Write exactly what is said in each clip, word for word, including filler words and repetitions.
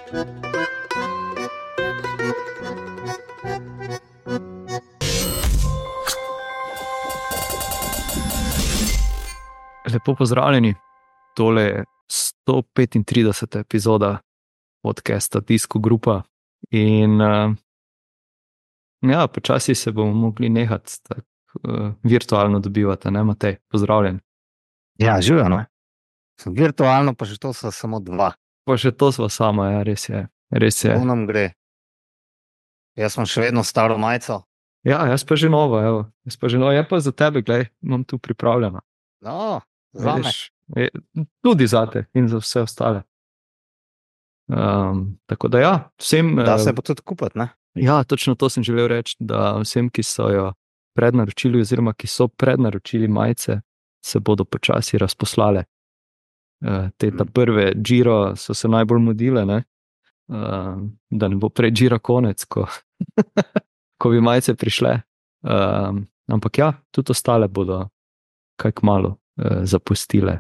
Lepo pozdravljeni, tole je sto petintrideseta epizoda podcasta Disco Grupa in uh, ja, počasi se bomo mogli nehati tak, uh, virtualno dobivati, ne Matej, pozdravljen. Ja, živijo, no. Virtualno pa že to so samo dva. Pa še to sva sama, ja, res je, res je. To nam gre. Jaz sem še vedno staro majico. Ja, jaz pa že novo, evo, jaz pa že novo, je pa za tebe, glej, imam tu pripravljeno. No, za me. Je, tudi zate in za vse ostale. Um, tako da ja, vsem... Da se bo tudi kupiti, ne? Ja, točno to sem želel reči, da vsem, ki so jo prednaročili oziroma ki so prednaročili majice, se bodo počasi razposlale. Uh, te ta prve Giro so se najbolj mudile, ne? Uh, da ne bo prej Giro konec, ko, ko bi majice prišle. Uh, ampak ja, tudi ostale bodo kaj kmalu uh, zapustile.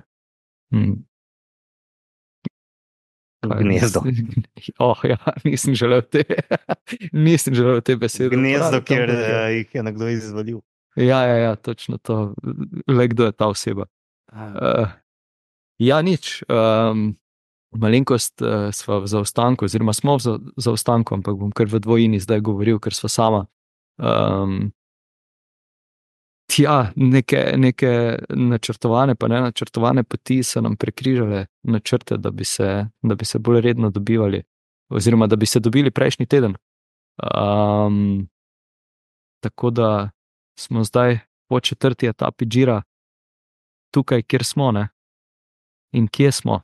Hmm. Gnezdo. Oh, ja, nisem želel te, nisem želel te besede. Gnezdo, ker uh, jih je nekdo izvalil. Ja, ja, ja, točno to. Le kdo je ta oseba. Uh, ja, nič. Um, malenkost uh, sva v zaostanku, oziroma smo v zaostanku, ampak bom kar v dvojini zdaj govoril, ker sva sama. Um, Tja, neke, neke načrtovane, pa ne načrtovane poti so nam prekrižale načrte, da bi se, da bi se bolj redno dobivali, oziroma da bi se dobili prejšnji teden. Um, tako da smo zdaj po četrti etapi Gira tukaj, kjer smo, ne? In kje smo?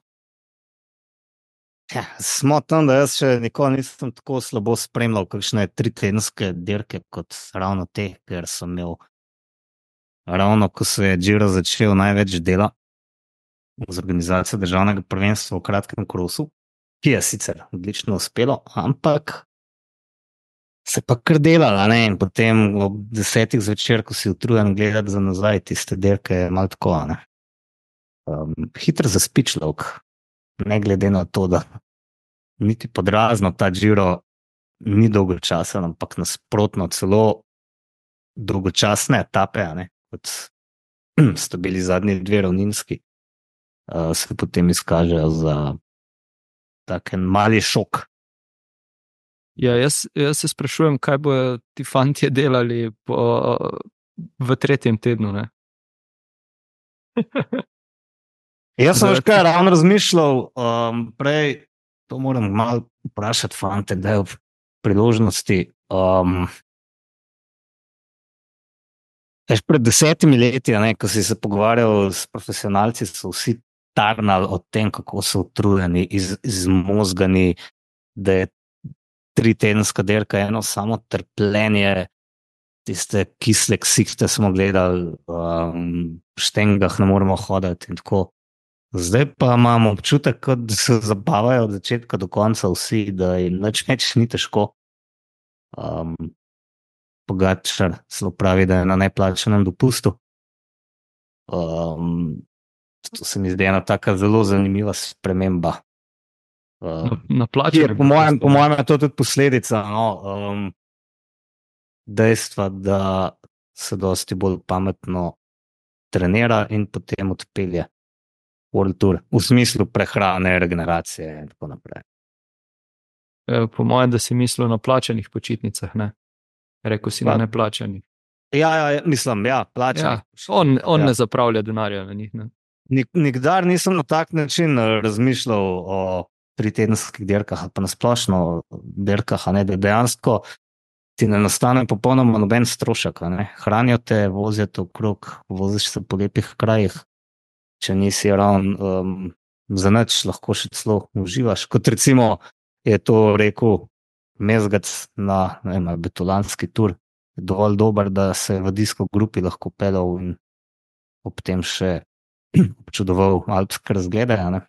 Ja, smo tam, da jaz še nikoli nisem tako slabo spremljal kakšne tritedenske dirke kot ravno te, ker sem imel ravno, ko se je Giro začel, največ dela z organizacijo državnega prvenstva v kratkem krosu, ki je sicer odlično uspelo, ampak se pa kar delala, ne, in potem ob desetih zvečer, ko si utrujen gledati za nazaj tiste dirke, je malo tako, ne. Um, hitro zaspi človek, ne glede na to, da niti podrazno ta Giro ni dolgočasen, ampak nasprotno celo dolgočasne etape, ne, kot sta bili zadnji dve ravninski, uh, se potem izkažejo za tak en mali šok. Ja, jaz, jaz se sprašujem, kaj bojo ti fantje delali po, v tretjem tednu, ne? Jaz sem že kaj ravno razmišljal, um, prej to moram malo vprašati fante, da je v priložnosti. Um, Eš pred desetimi leti, ne, ko si se pogovarjal s profesionalci, so vsi tarnali o tem, kako so utrujeni, iz, izmozgani, da je tritedenska dirka eno samo trpljenje, tiste kisle ksihte smo gledali, um, v štengah ne moremo hoditi in tako. Zdaj pa imamo občutek, kot da se zabavajo od začetka do konca vsi, da jim nič več ni težko. Um, Pogačar celo pravi, da je na neplačanem dopustu. Um, to se mi zdi ena taka zelo zanimiva sprememba. Um, na, na plačanem po mojem, po mojem je to tudi posledica, no, um, dejstva, da se dosti bolj pametno trenira in potem odpelje World Tour, v smislu prehrane, regeneracije in tako naprej. Po mojem, da si mislil na plačanih počitnicah, ne? Rekl si pa, na neplačanih. Ja, ja, mislim, ja, plačanih. Ja, on on ja. Ne zapravlja denarja na njih, ne? Nik, nikdar nisem na tak način razmišljal o tritedenskih dirkah, pa na splošno dirkah, a ne, da dejansko ti ne nastane popolnoma noben strošek, a ne. Hranijo te, vozijo te okrog, voziš se po lepih krajih, če nisi ravno um, za nič, lahko še celo uživaš. Kot recimo je to rekel Mezgac na, ne vem, Betolanski tur, dovolj dober, da se v Disco Grupi lahko pelal in ob tem še občudoval alpske razglede, ne.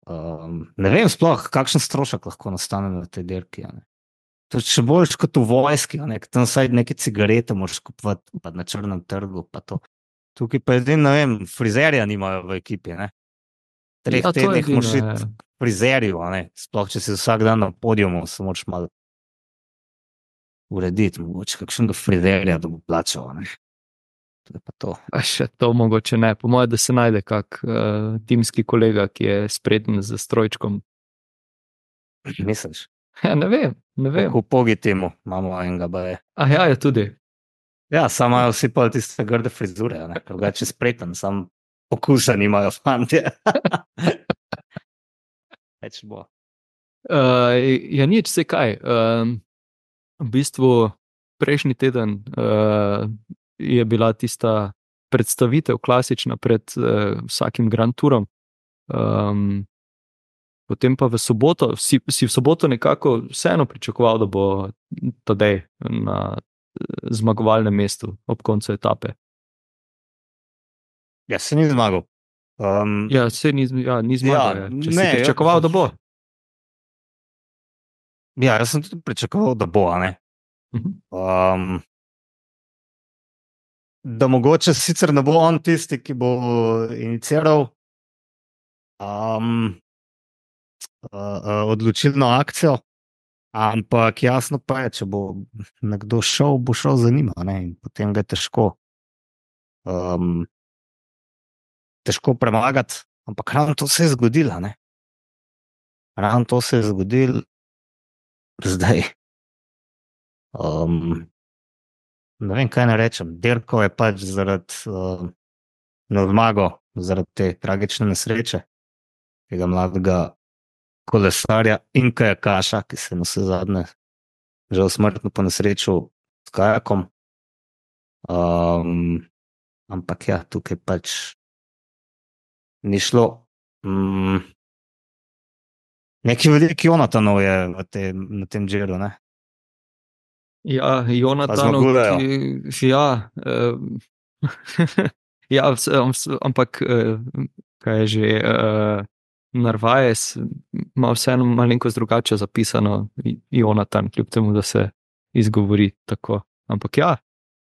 Um, ne vem sploh, kakšen strošek lahko nastane na tej dirki, ne. To je še boljš kot v vojski, ne, tam saj neke cigarete moraš kupovati pa na črnem trgu, pa to. Tukaj pa edin, ne vem, frizerja nimajo v ekipi, ne. Treh Ja, to tednih edino moraš je. iti frizerju, sploh če si vsak dan na podiumu, se moraš malo urediti, mogoče kakšnega frizerja, da bo plačal. Ne? To je pa to. A še to mogoče ne. Po mojem, da se najde kak uh, timski kolega, ki je spreten z strojčkom. Misliš? Ja, ne vem, ne vem. Kako pogi temu, imamo enega baje. A ja, je tudi. Ja, samo imajo vsi pa tiste grde frizure, drugače spreten, sam okusa nimajo fantje. Več bo. Uh, ja, nič se kaj. Uh, v bistvu prejšnji teden uh, je bila tista predstavitev klasična pred uh, vsakim Grand Tourom. Um, potem pa v soboto, si, si v soboto nekako vseeno pričakoval, da bo Tadej na zmagovalnem mestu ob koncu etape. Ja, se ni zmagal. Um, ja, se ni, ja, ni zmagal. Ja, ja. Če ne, si pričakoval, ja, da bo. Ja, jaz sem tudi pričakoval, da bo, a ne. Um, da mogoče sicer ne bo on tisti, ki bo iniciiral um, uh, uh, odločilno akcijo, ampak jasno pa je, če bo nekdo šel, bo šel za njima, ne, in potem ga je težko, um, težko premagati, ampak ravno to se je zgodilo, ne. Ravno to se je zgodilo zdaj. Um, ne vem, kaj ne rečem. Dirkal je pač zaradi uh, na zmago, zaradi te tragične nesreče, tega mladega kolesarja in kajakaša, ki se je na vse zadnje žal smrtno po nesreču s kajakom. Um, ampak ja, tukaj pač ni šlo. Um, neki veliki Jonatanov je v te, na tem džiru, ne? Ja, Jonatanov, ki, ja, uh, ja, ampak uh, kaj je že, uh, Narvaez ima vseeno malenkost drugače zapisano, Jonatan, kljub temu, da se izgovori tako. Ampak ja,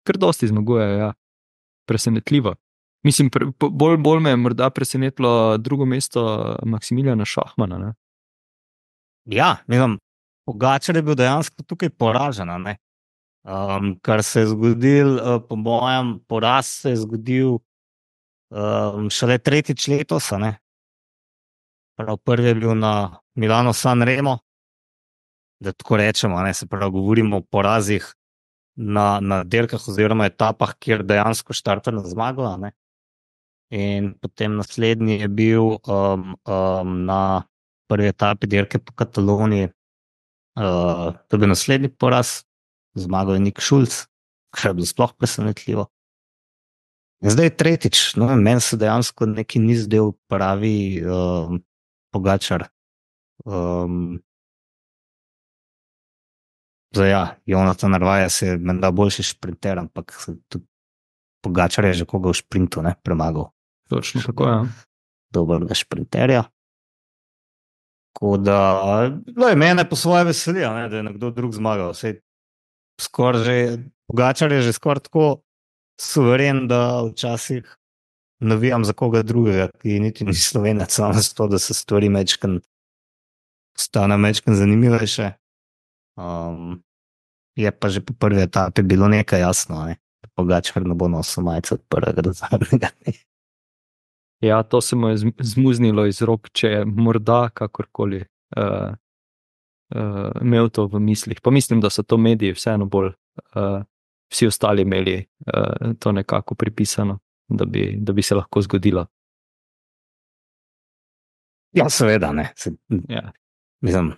kar dosti zmaguje, ja, presenetljivo. Mislim, pre, bolj, bolj me je morda presenetilo drugo mesto Maksimiljana Šahmana, ne? Ja, mislim, Pogačar je bil dejansko tukaj poražen, ne? Um, kar se je zgodil, uh, po mojem, poraz se je zgodil um, šele tretjič letos, ne? Prav prvi je bil na Milano Sanremo, da tako rečemo, ne? Se pravi, govorimo o porazih na, na dirkah oziroma etapah, kjer dejansko štarta na zmago, ne? In potem naslednji je bil um, um, na prvi etapi dirke po Kataloniji, uh, to je bil naslednji poraz. Zmagal je Nik Šulc, kar je bilo sploh presenetljivo. In zdaj tretjič, no, meni se dejansko neki ni zdel pravi um, Pogačar. Um, zdaj ja, Jonatan Narvaez je menda boljši šprinter, ampak tudi Pogačar je že koga v šprintu, ne, premagal. Točno tako, ja. Dobrega šprinterja. Tako da, gledaj, mene po svoje veselijo, ne, da je nekdo drug zmagal. Sej skoraj že, Pogačar je že skoraj tako suveren, da včasih navijam za koga drugega, ki niti ni Slovenec, samo zato, da se stvari mečkan stane mečkan zanimivejše. Um, je pa že po prvi etapi bilo nekaj jasno, ne? Pogačar ne bo nosil majice od prvega do zadnjega dne. Ja, to se mu je zmuznilo iz rok, če je morda kakorkoli uh, Uh, imel to v mislih. Pa mislim, da so to mediji vseeno bolj uh, vsi ostali imeli uh, to nekako pripisano, da bi, da bi se lahko zgodilo. Ja, seveda, ne. Se, ja. Mislim,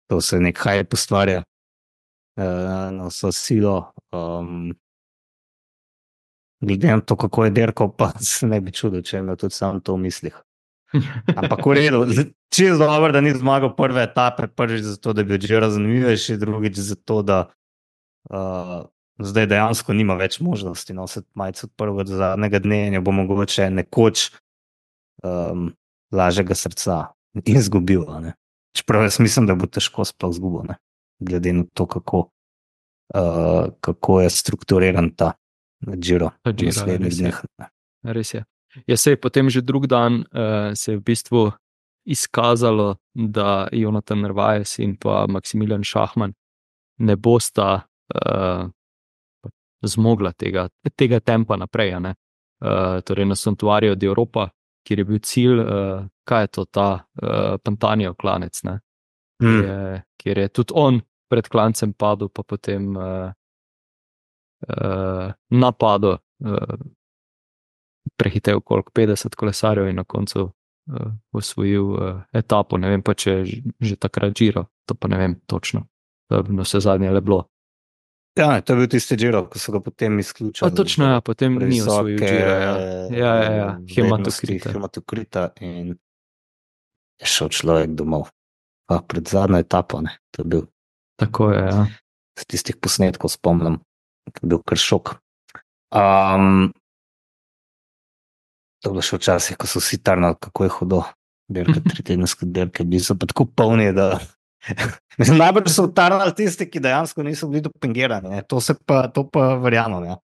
to se nek hype ustvarja uh, na vso silo. Um, glede na to, kako je dirkal, pa se ne bi čudil, če je imel tudi sam to v mislih. Ampak v redu, čisto dobro, da ni zmagal prve etape, prvič zato, da bi bil Giro zanimivejši, drugič zato, da uh, zdaj dejansko nima več možnosti nositi majico od prvega do zadnjega dne in jo bo mogoče nekoč um, lažjega srca izgubil. Čeprav jaz mislim, da bo težko sploh izgubil, ne? Glede na to, kako, uh, kako je strukturiran ta Giro v naslednjih dneh. Res je. Ja, sej, potem že drug dan uh, se je v bistvu izkazalo, da Jonatan Narvaez in pa Maximilian Šahman ne bosta uh, zmogla tega, tega tempa naprej. Uh, torej na Santuariju de Europa, kjer je bil cilj, uh, kaj je to ta uh, Pantanijev klanec, ne? Kjer, Mm. je, kjer je tudi on pred klancem padel, pa potem uh, uh, napadel, uh, prehitev koliko petdeset kolesarjev in na koncu uh, osvojil uh, etapo. Ne vem pa, če je že, že takrat Giro, to pa ne vem točno. To je vse zadnje le bilo. Ja, to je bil tisti Giro, ko so ga potem A, izključili. točno, ja, potem ni osvojil previsoke, Gira. Ja, ja, ja, ja. vrednosti Hematokrita. hematokrita in je šel človek domov. Pa pred zadnjo etapo, ne, to je bil Tako je, ja. z tistih posnetkov spomnim, to je bil kar šok. Um, to je bilo še včasih, ko so vsi tarnali, kako je hudo. Dirke, tritedenske dirke, bili so pa tako polni, da mislim, najbolj so tarnali tisti, ki dejansko niso bili dopingirani, ne. To se pa, to pa verjamem, ja.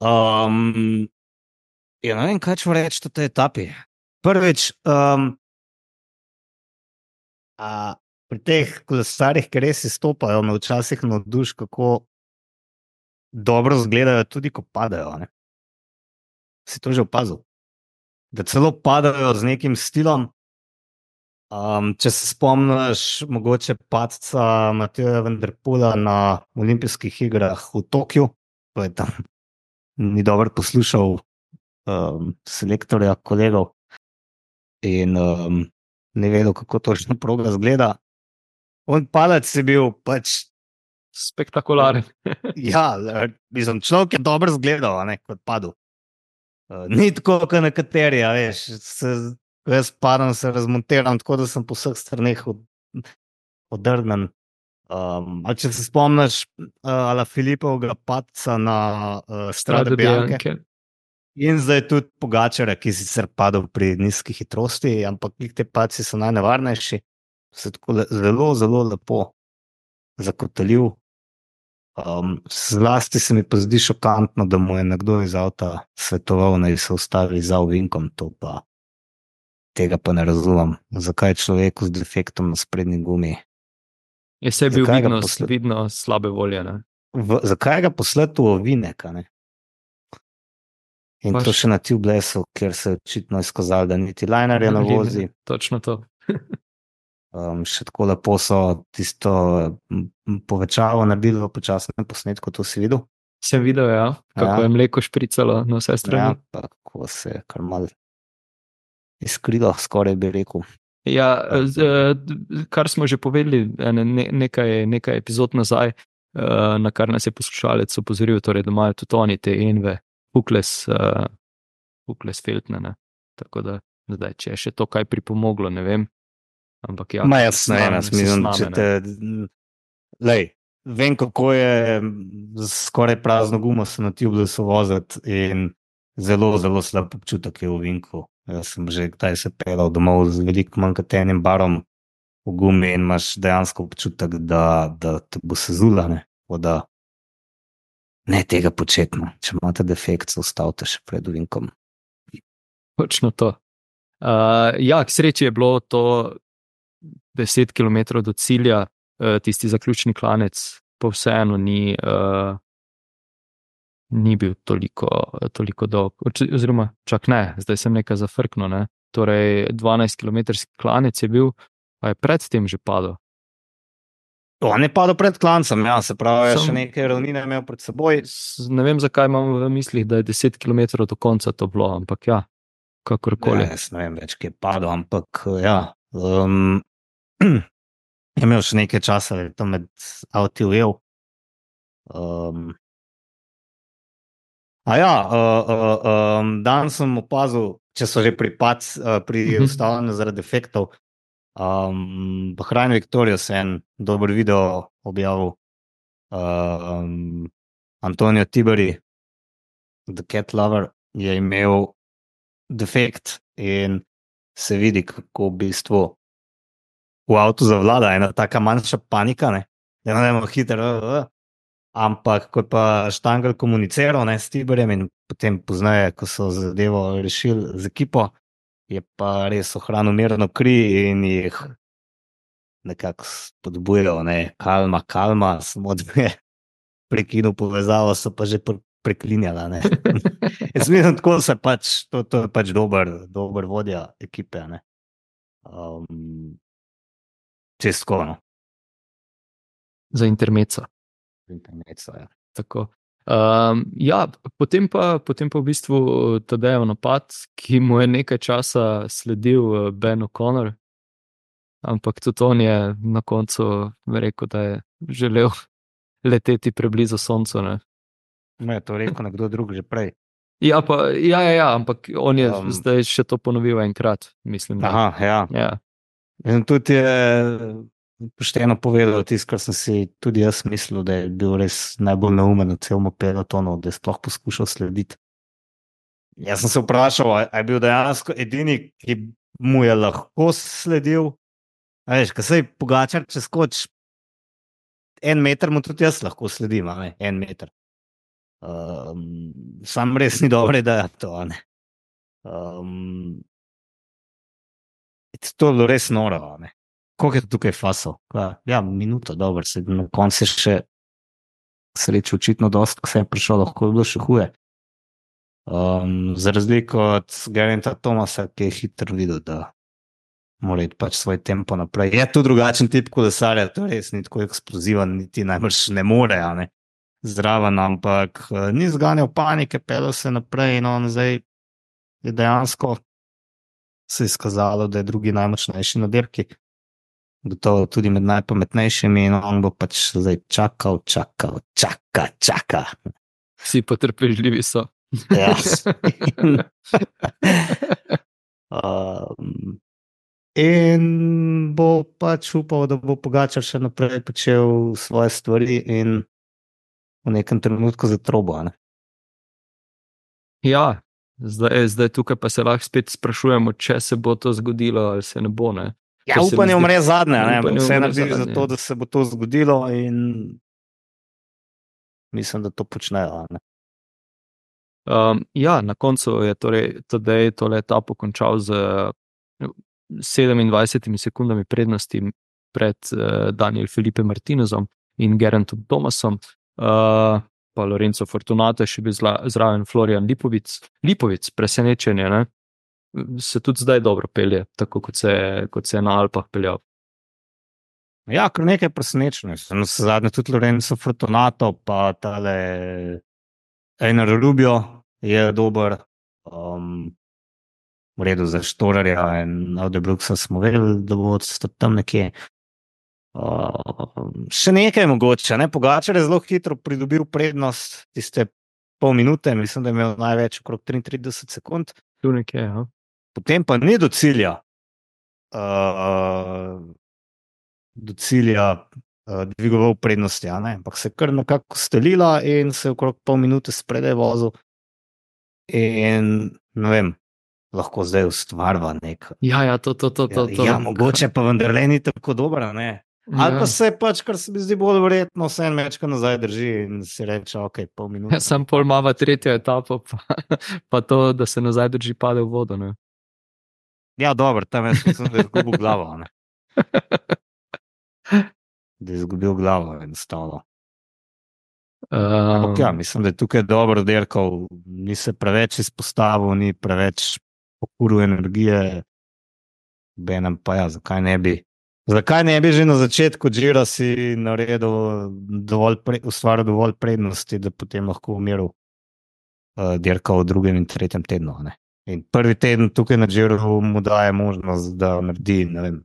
Um, ja, ne vem, kaj ću reči o tej etapi. Prvič, um, a, pri teh kolesarjih, ki res izstopajo, me včasih navduš, kako dobro izgledajo tudi, ko padajo, ne. Si to že opazil? Da celo padajo z nekim stilom. Um, če se spomniš mogoče padca Mateja van der Poela na olimpijskih igrah v Tokiu, ko je tam ni dobro poslušal um, selektorja kolegov in um, ne vedel, kako točno proga izgleda. On padec je bil pač Spektakularen. ja, mislim, človek je dobro izgledal, a ne, kot padel. Uh, ni tako, kot nekateri, a veš, se, jaz padam, se razmontiram, tako da sem po vseh straneh od, odrgnen. Um, ali če se spomniš uh, Ala Filipovega padca na uh, Strade Strade Bianche Bianche. in zdaj tudi Pogačarja, ki je sicer padel pri nizki hitrosti, ampak te padci so najnevarnejši, se tako le, zelo, zelo lepo zakotalil. Um, zlasti se mi pa zdi šokantno, da mu je nekdo iz avta svetoval, naj se ustavi za ovinkom, to pa tega pa ne razumem. Zakaj človeku z defektom na sprednji gumi? Je se bil Zakaj ga vidno, posle- vidno slabe volje. Ne? V, zakaj ga poslati v ovinek, a ne? In Pač- to še na tubelessu, kjer se je očitno izkazalo, da niti linerja ne vozi. Točno to. Um, še tako lepo so tisto m, m, povečavo naredili v počasnem posnetku, to si videl? Sem videl, ja, kako Ja. je mleko špricalo na vse Ja, strani. pa kako se je kar mal izkrilo, skoraj bi rekel. Ja, z, eh, kar smo že povedali ene, ne, nekaj, nekaj epizod nazaj, eh, na kar nas je poslušalec opozoril, torej, da imajo tudi oni te enve, Hukles, uh, Hukles Feltne. Ne? Tako da zdaj, če je še to kaj pripomoglo, ne vem. Ampak ja, Ma jaz ne vem, sname- jaz mislim, sname, če ne. te... Lej, vem, kako je z skoraj prazno gumo se na tubelessu voziti in zelo, zelo slab občutek je v ovinku. Jaz sem že kdaj se pelal domov z veliko manj kot enim barom v gumi in imaš dejansko občutek, da, da te bo sezula, ne. Tako da ne tega početi, no. Če imate defekt, se ustavite še pred ovinkom. Točno to. Uh, ja, k sreči je bilo to deset kilometrov do cilja, uh, tisti zaključni klanec, pa vseeno ni, uh, ni bil toliko, toliko dolg. Oč- Oziroma, čak ne, zdaj sem nekaj zafrknil. Ne? Torej, dvanajst kilometrski klanec je bil, pa je predtem že padel. On je padel pred klancem, ja, se pravi, je Sam- še nekaj ravnine imel pred seboj. S- Ne vem, zakaj imam v mislih, da je deset kilometrov do konca to bilo, ampak ja, kakorkoli. Ja, jaz ne vem več, kje je padel, ampak ja. Um, je imel še nekaj časa, da je to med avti ujel. Um, a ja, uh, uh, um, dan sem opazil, če so že pri, pac, uh, pri Mhm. ustavljanju zaradi defektov. Um, Bahrain Victoria se en dober video objavil. Uh, um, Antonio Tiberi, The Cat Lover, je imel defekt in se vidi, kako v bistvu v avtu zavlada ena taka manjša panika, ne, da ne moremo hitro, uh, uh. ampak ko je pa Štangl komuniciral, ne, s Tiberjem in potem poznaje, ko so zadevo rešili z ekipo, je pa res ohranil mirno kri in jih nekako spodbujal, ne, kalma, kalma, samo da je prekinil povezavo, so pa že pr preklinjala, ne. Jaz mislim, tako se pač, to, to je pač dober, dober vodja ekipe, ne. Um, Čistko, no. Za intermeco. Intermeco, ja. Tako. Um, ja, potem pa, potem pa v bistvu Tadejev napad, ki mu je nekaj časa sledil Ben O'Connor, ampak tudi on je na koncu rekel, da je želel leteti preblizu soncu, ne. Me je to rekel nekdo drug že prej. Ja, pa, ja, ja, ja, ampak on je Um, zdaj še to ponovil enkrat, mislim. Da. Aha, ja. Ja. In tudi je pošteno povedal tisto, kar sem si tudi jaz mislil, da je bil res najbolj neumen v celom pelotonu, da je sploh poskušal slediti. Jaz sem se vprašal, a je bil dejansko edini, ki mu je lahko sledil. A veš, ko se je Pogačar, če skoč en meter, mu tudi jaz lahko sledim, a ne, en meter. Um, sam res ni dobro, da je to, a ne. Um, to je bilo res noro, a ne. Koliko je tukaj fasov? Ja, minuto, dobro, se na koncu še sreče očitno dost, ko se je prišel, lahko je bilo še huje. Um, za razliko od Gerainta Thomasa, ki je hitro videl, da mora iti pač svoj tempo naprej. Je tu drugačen tip kolesarja, to res ni tako eksplozivan, niti najbrž ne more, a ne, zraven, ampak uh, ni zganjal panike, pelil se naprej in on zdaj je dejansko se je izkazalo, da je drugi najmočnejši na dirki. Gotovo tudi med najpametnejšimi in on bo pač zdaj čakal, čakal, čaka, čaka. Vsi potrpežljivi so. Ja. um, in bo pač upal, da bo Pogačar še naprej počel svoje stvari in v nekem trenutku zatrobo, ne? Ja, zdaj, zdaj tukaj pa se lahko spet sprašujemo, če se bo to zgodilo ali se ne bo, ne. Ja, upanje umre zadnje, ne, vse narediš za to, ja. da se bo to zgodilo in mislim, da to počnejo, ne. Um, ja, na koncu je torej Tadej tole etapo končal z sedemindvajsetimi sekundami prednosti pred uh, Daniel Felipe Martinezom in Geraintom Thomasom, uh, pa Lorenzo Fortunato je še bil zla, zraven Florian Lipovic. Lipovic, presenečenje, ne? Se tudi zdaj dobro pelje, tako kot se, kot se je na Alpah peljal. Ja, kar nekaj presenečenj. No, zadnje tudi Lorenzo Fortunato, pa tale Einar Rubio je dober, um, v redu za Štorarja in Audebruksa smo vedeli, da bo tam nekje. Uh, še nekaj mogoče, ne? Pogačar je zelo hitro pridobil prednost, tiste pol minute, mislim, da je imel največ okrog triintrideset sekund. Tu nekje, ja. Potem pa ni do cilja, uh, do cilja uh, dvigoval prednosti, a ne? Ampak se je kar nekako stelila in se je okrog pol minute spredaj vozil in ne vem, lahko zdaj ustvarva nek. Ja, ja, to, to, to, to. to. Ja, mogoče pa vendar le ni tako dobro, ne? Ali pa se pač, kar se mi zdi bolj verjetno, vse en mečka nazaj drži in si reče, ok, pol minute. Ja, sam pol mava tretjo etapo, pa, pa to, da se nazaj drži, pade v vodo, ne? Ja, dobro, tam jaz mislim, da je izgubil glavo, ne? Da je izgubil glavo enostavno. Um, Ja, mislim, da je tukaj dobro dirkal, ni se preveč izpostavil, ni preveč pokuril energije, benem pa ja, zakaj ne bi zakaj ne bi že na začetku Gira si naredil dovolj, pre, ustvaril dovolj prednosti, da potem lahko umiril uh, dirkal v drugem in tretjem tednu, ne? In prvi teden tukaj na Giru mu daje možnost, da naredi, ne vem,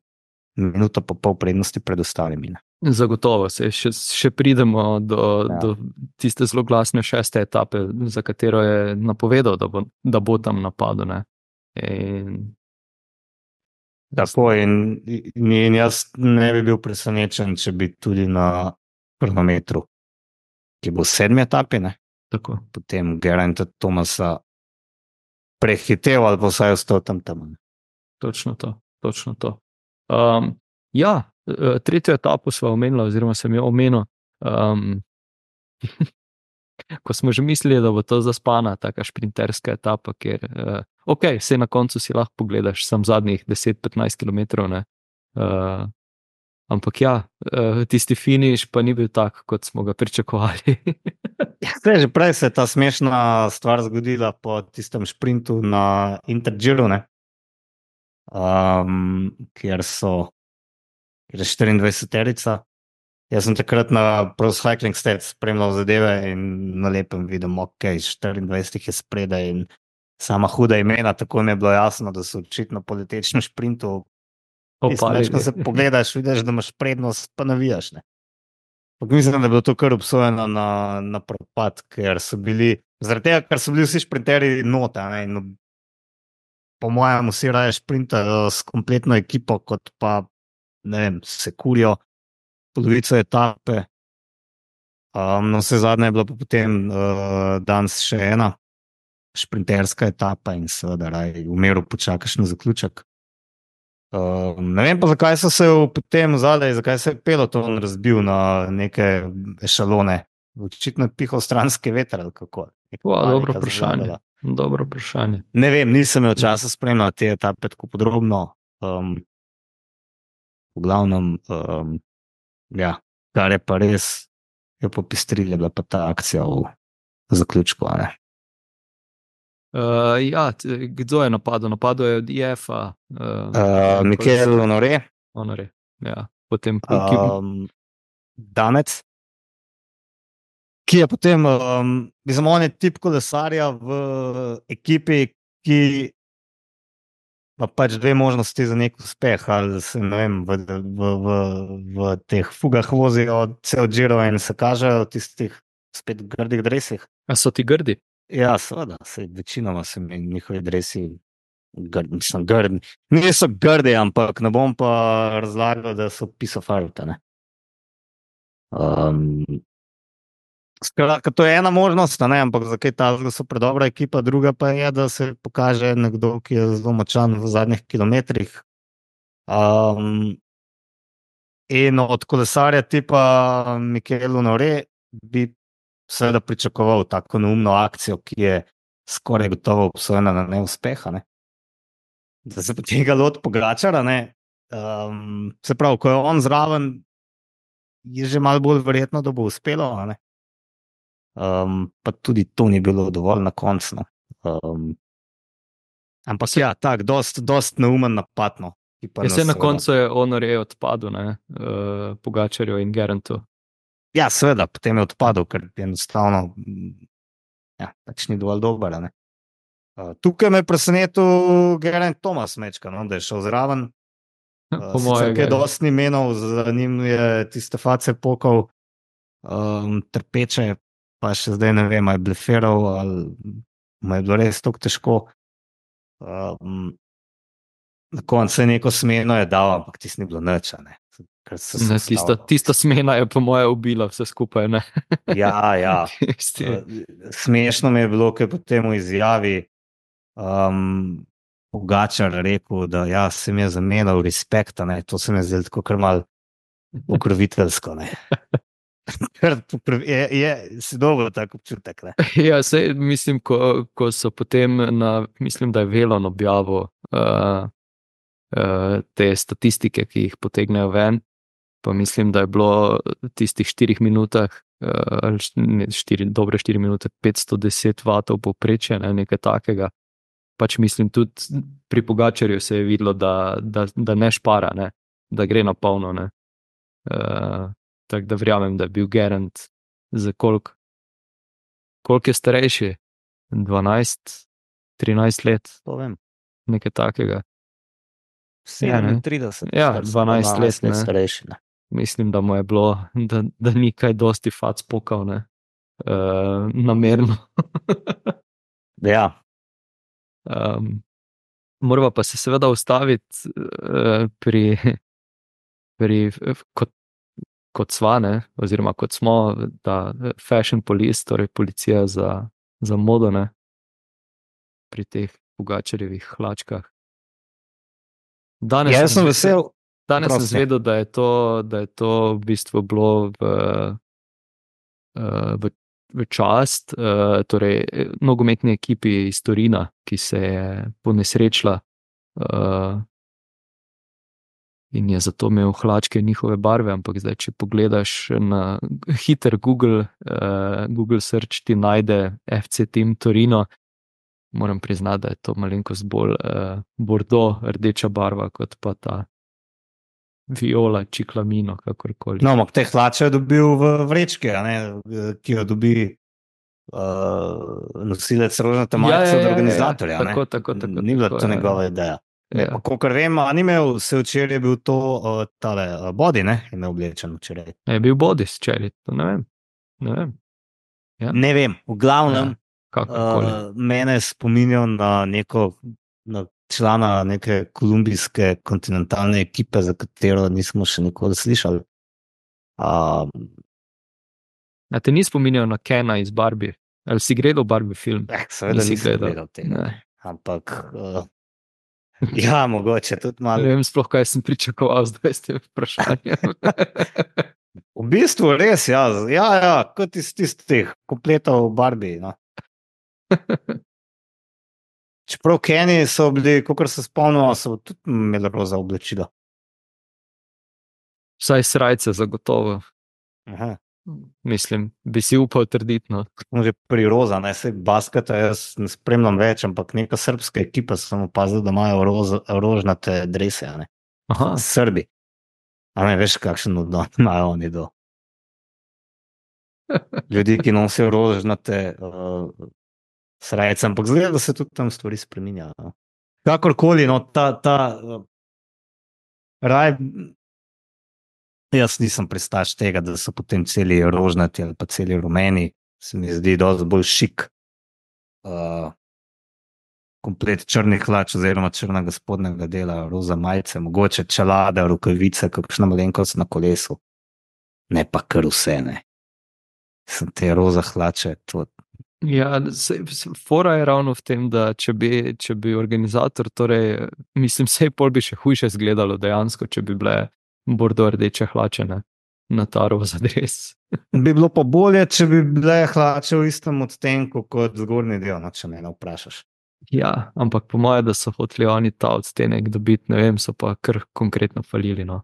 minuto pa pol prednosti pred ostalimi, ne? Zagotovo se še, še pridemo do, ja. do tiste zelo glasne šeste etape, za katero je napovedal, da bo, da bo tam napadel, ne. In... Tako, in, in jaz ne bi bil presenečen, če bi tudi na kronometru, ki bo v sedmi etapi, ne? Tako. Potem Gerainta Thomasa prehitev ali pa vsaj ostal tam tam. Točno to, točno to. Um, ja, tretjo etapo sva omenila, oziroma sem jo omenil, um, ko smo že mislili, da bo to zaspana taka šprinterska etapa, kjer uh, ok, vse na koncu si lahko pogledaš, sem zadnjih deset do petnajst kilometrov. Uh, ampak ja, uh, tisti finiš pa ni bil tak, kot smo ga pričakovali. Zdaj, že prej se je ta smešna stvar zgodila po tistem šprintu na Intergiru, ne? Um, kjer so kjer je štiriindvajseterica. Jaz sem takrat na Pro Cycling Stats spremljal zadeve in na lepem vidim, ok, štiriindvajset je spredaj in sama huda imena, tako mi je bilo jasno, da so očitno po letečnem šprintu. Več, ko se pogledaš, vidiš, da imaš prednost, pa navijaš. Ne? Mislim, da je bilo to kar obsojeno na, na propad, ker so bili, zaradi tega, ker so bili vsi šprinterji nota. Ne? In po mojem, vsi raje šprintajo s kompletno ekipo, kot pa, ne vem, se kurijo polovico etape. Um, no, vse zadnje je bilo pa potem uh, danes še ena šprinterska etapa in seveda raje v miru počakaš na zaključek. Uh, ne vem pa, zakaj so se potem zadaj, zakaj se je peloton razbil na neke ešalone. Očitno je pihal stranski veter ali kako. Wow, dobro vprašanje. Dobro vprašanje. Ne vem, nisem imel časa spremljati te etape tako podrobno. Um, v glavnem, um, ja, kar je pa res, je popestrilja bila pa ta akcija v zaključku. Ne? Uh, ja, kdo je napadel? Napadel je od I F A. Uh, uh, Mikel Honoré. Honoré, ja. Potem um, Danec, ki je potem, um, mislim, on je tip kolesarja v ekipi, ki ima pač dve možnosti za nek uspeh, ali se, ne vem, v, v, v, v teh fugah vozijo cel Giro in se kažejo v tistih spet grdih dresih. A so ti grdi? Ja, seveda, se večinoma so mi njihovi dresi grdi, mislim, grdi. Niso grdi, ampak ne bom pa razlagal, da so piece of art, ne. Um, skratka, to je ena možnost, ne, ampak za kaj ta so predobra ekipa, druga pa je, da se pokaže nekdo, ki je zelo močan v zadnjih kilometrih. Um, in od kolesarja tipa Mikel Honoré bi seveda pričakoval tako neumno akcijo, ki je skoraj gotovo obsojena na neuspeha. Ne? Da se potem ga lot Pogačara, ne? Um, se pravi, ko je on zraven, je že malo bolj verjetno, da bo uspelo. Ne? Um, pa tudi to ni bilo dovolj na koncu. Um, ampak ja, tako, dost, dost neumen napad. No, ja, se na koncu je Honoré odpadel, ne? Uh, Pogačarju in Gerantu. Ja, seveda, potem je odpadel, ker enostavno ja, pač ni dovolj dober. Uh, tukaj me je presenetil Geraint Thomas mečka, no, da je šel zraven. Uh, sicer kaj dosti ni menil, za njim je tiste face pokal um, trpeče, pa še zdaj ne vem, je bleferal ali mu je bilo res tako težko. Um, na koncu je neko smeno je dal, ampak tisti ni bilo nič, ne. Ne, tista, tista smena je po moje ubila vse skupaj. Ne? Ja, ja. Smešno mi je bilo, ker potem v izjavi um, Pogačar rekel, da ja, se mi je zamenjal respekta, ne? To se mi je zdelo tako kar malo ukroviteljsko. je, je, si dobro tak občutek. Ne? Ja, sej, mislim, ko, ko so potem na, mislim, da je Velon objavil uh, uh, te statistike, ki jih potegnejo ven, pa mislim, da je bilo v tistih štirih minutah, ali štiri, dobre štiri minute, petsto deset vatov povprečje, ne, nekaj takega. Pač mislim, tudi pri Pogačarju se je videlo, da, da, da ne špara, ne, da gre na polno. Uh, tako da verjamem, da je bil Geraint za koliko, koliko je starejši? dvanajst, trinajst let? To vem. Nekaj takega. sedemintrideset. Ja, dvanajst let, let starejši. Ne. Mislim, da mu je bilo, da, da ni kaj dosti fac pokal, ne, uh, namerno. Ja. Um, morava pa se seveda ustaviti uh, pri, pri kot, kot sva, ne, oziroma kot smo, ta fashion police, torej policija za, za modo, ne, pri teh Pogačarjevih hlačkah. Danes ja, sem vesel. Danes sem zvedel, da je to, da je to v bistvu bilo v, v v čast, uh, torej nogometni ekipi iz Torina, ki se je ponesrečila uh, in je zato imel hlačke njihove barve, ampak zdaj, če pogledaš na hiter Google, uh, Google search ti najde F C Team Torino, moram priznati, da je to malenkost bolj uh, bordo, rdeča barva, kot pa ta viola, čiklamino, kakorkoli. No, ampak te hlače je dobil v vrečki, a ne, ki jo dobi uh, nosilec rožnate majice od organizatorja. Ja, tako, tako, tako. Ni bila tako, to ja. njegova ideja. Ja. Kolikor vem, a ni imel, se včeraj je bil to uh, tale uh, body, ne, je imel oblečen včeraj. Je bil body včeraj, to ne vem. Ne vem. Ja. Ne vem, v glavnem, ja, uh, mene spominjal na neko na člana neke kolumbijske kontinentalne ekipe, za katero nismo še nikoli slišali. Um, A te ni spominjal na Kena iz Barbie? Ali si gledal Barbie film? Eh, seveda Nisi nisem gledal. gledal tega. Ne. Ampak, uh, ja, mogoče tudi malo. Ne vem sploh, kaj sem pričakoval zdaj s tem vprašanjem. V bistvu res, ja, ja, ja kot iz tistih kompletov Barbie. No. Čeprav Kenji so bili, kakor se spomnimo, so tudi imeli roza oblačila. Vsaj srajce zagotovo. Aha. Mislim, bi si upal trditi. No. Že pri roza, ne, se basketa jaz ne spremljam več, ampak neka srbska ekipa sem opazil, da imajo roza, rožnate drese, ne. Aha. Srbi. A ne veš, kakšen odnos imajo oni do ljudi, ki nosijo rožnate uh, srajce, ampak zgleda, da se tudi tam stvari spreminjajo. No. Kakorkoli, no, ta, ta uh, raj, jaz nisem pristaš tega, da so potem celi rožnati ali pa celi rumeni, se mi zdi dosti bolj šik. Uh, komplet črnih hlač oziroma črnega spodnjega dela, roza majice, mogoče čelade, rokavice, kakšna malenkost na kolesu. Ne pa kar vse, ne. Sem te roza hlače, to. Ja, se, se, fora je ravno v tem, da če bi, če bi organizator, torej, mislim, sej pol bi še hujše izgledalo dejansko, če bi bile bordo rdeče hlače, ne, na ta roza dres. Bi bilo pa bolje, če bi bile hlače v istem odtenku kot zgornji del, no, če me ne vprašaš. Ja, ampak po moje, da so hoteli oni ta odstenek dobiti, ne vem, so pa kar konkretno falili, no.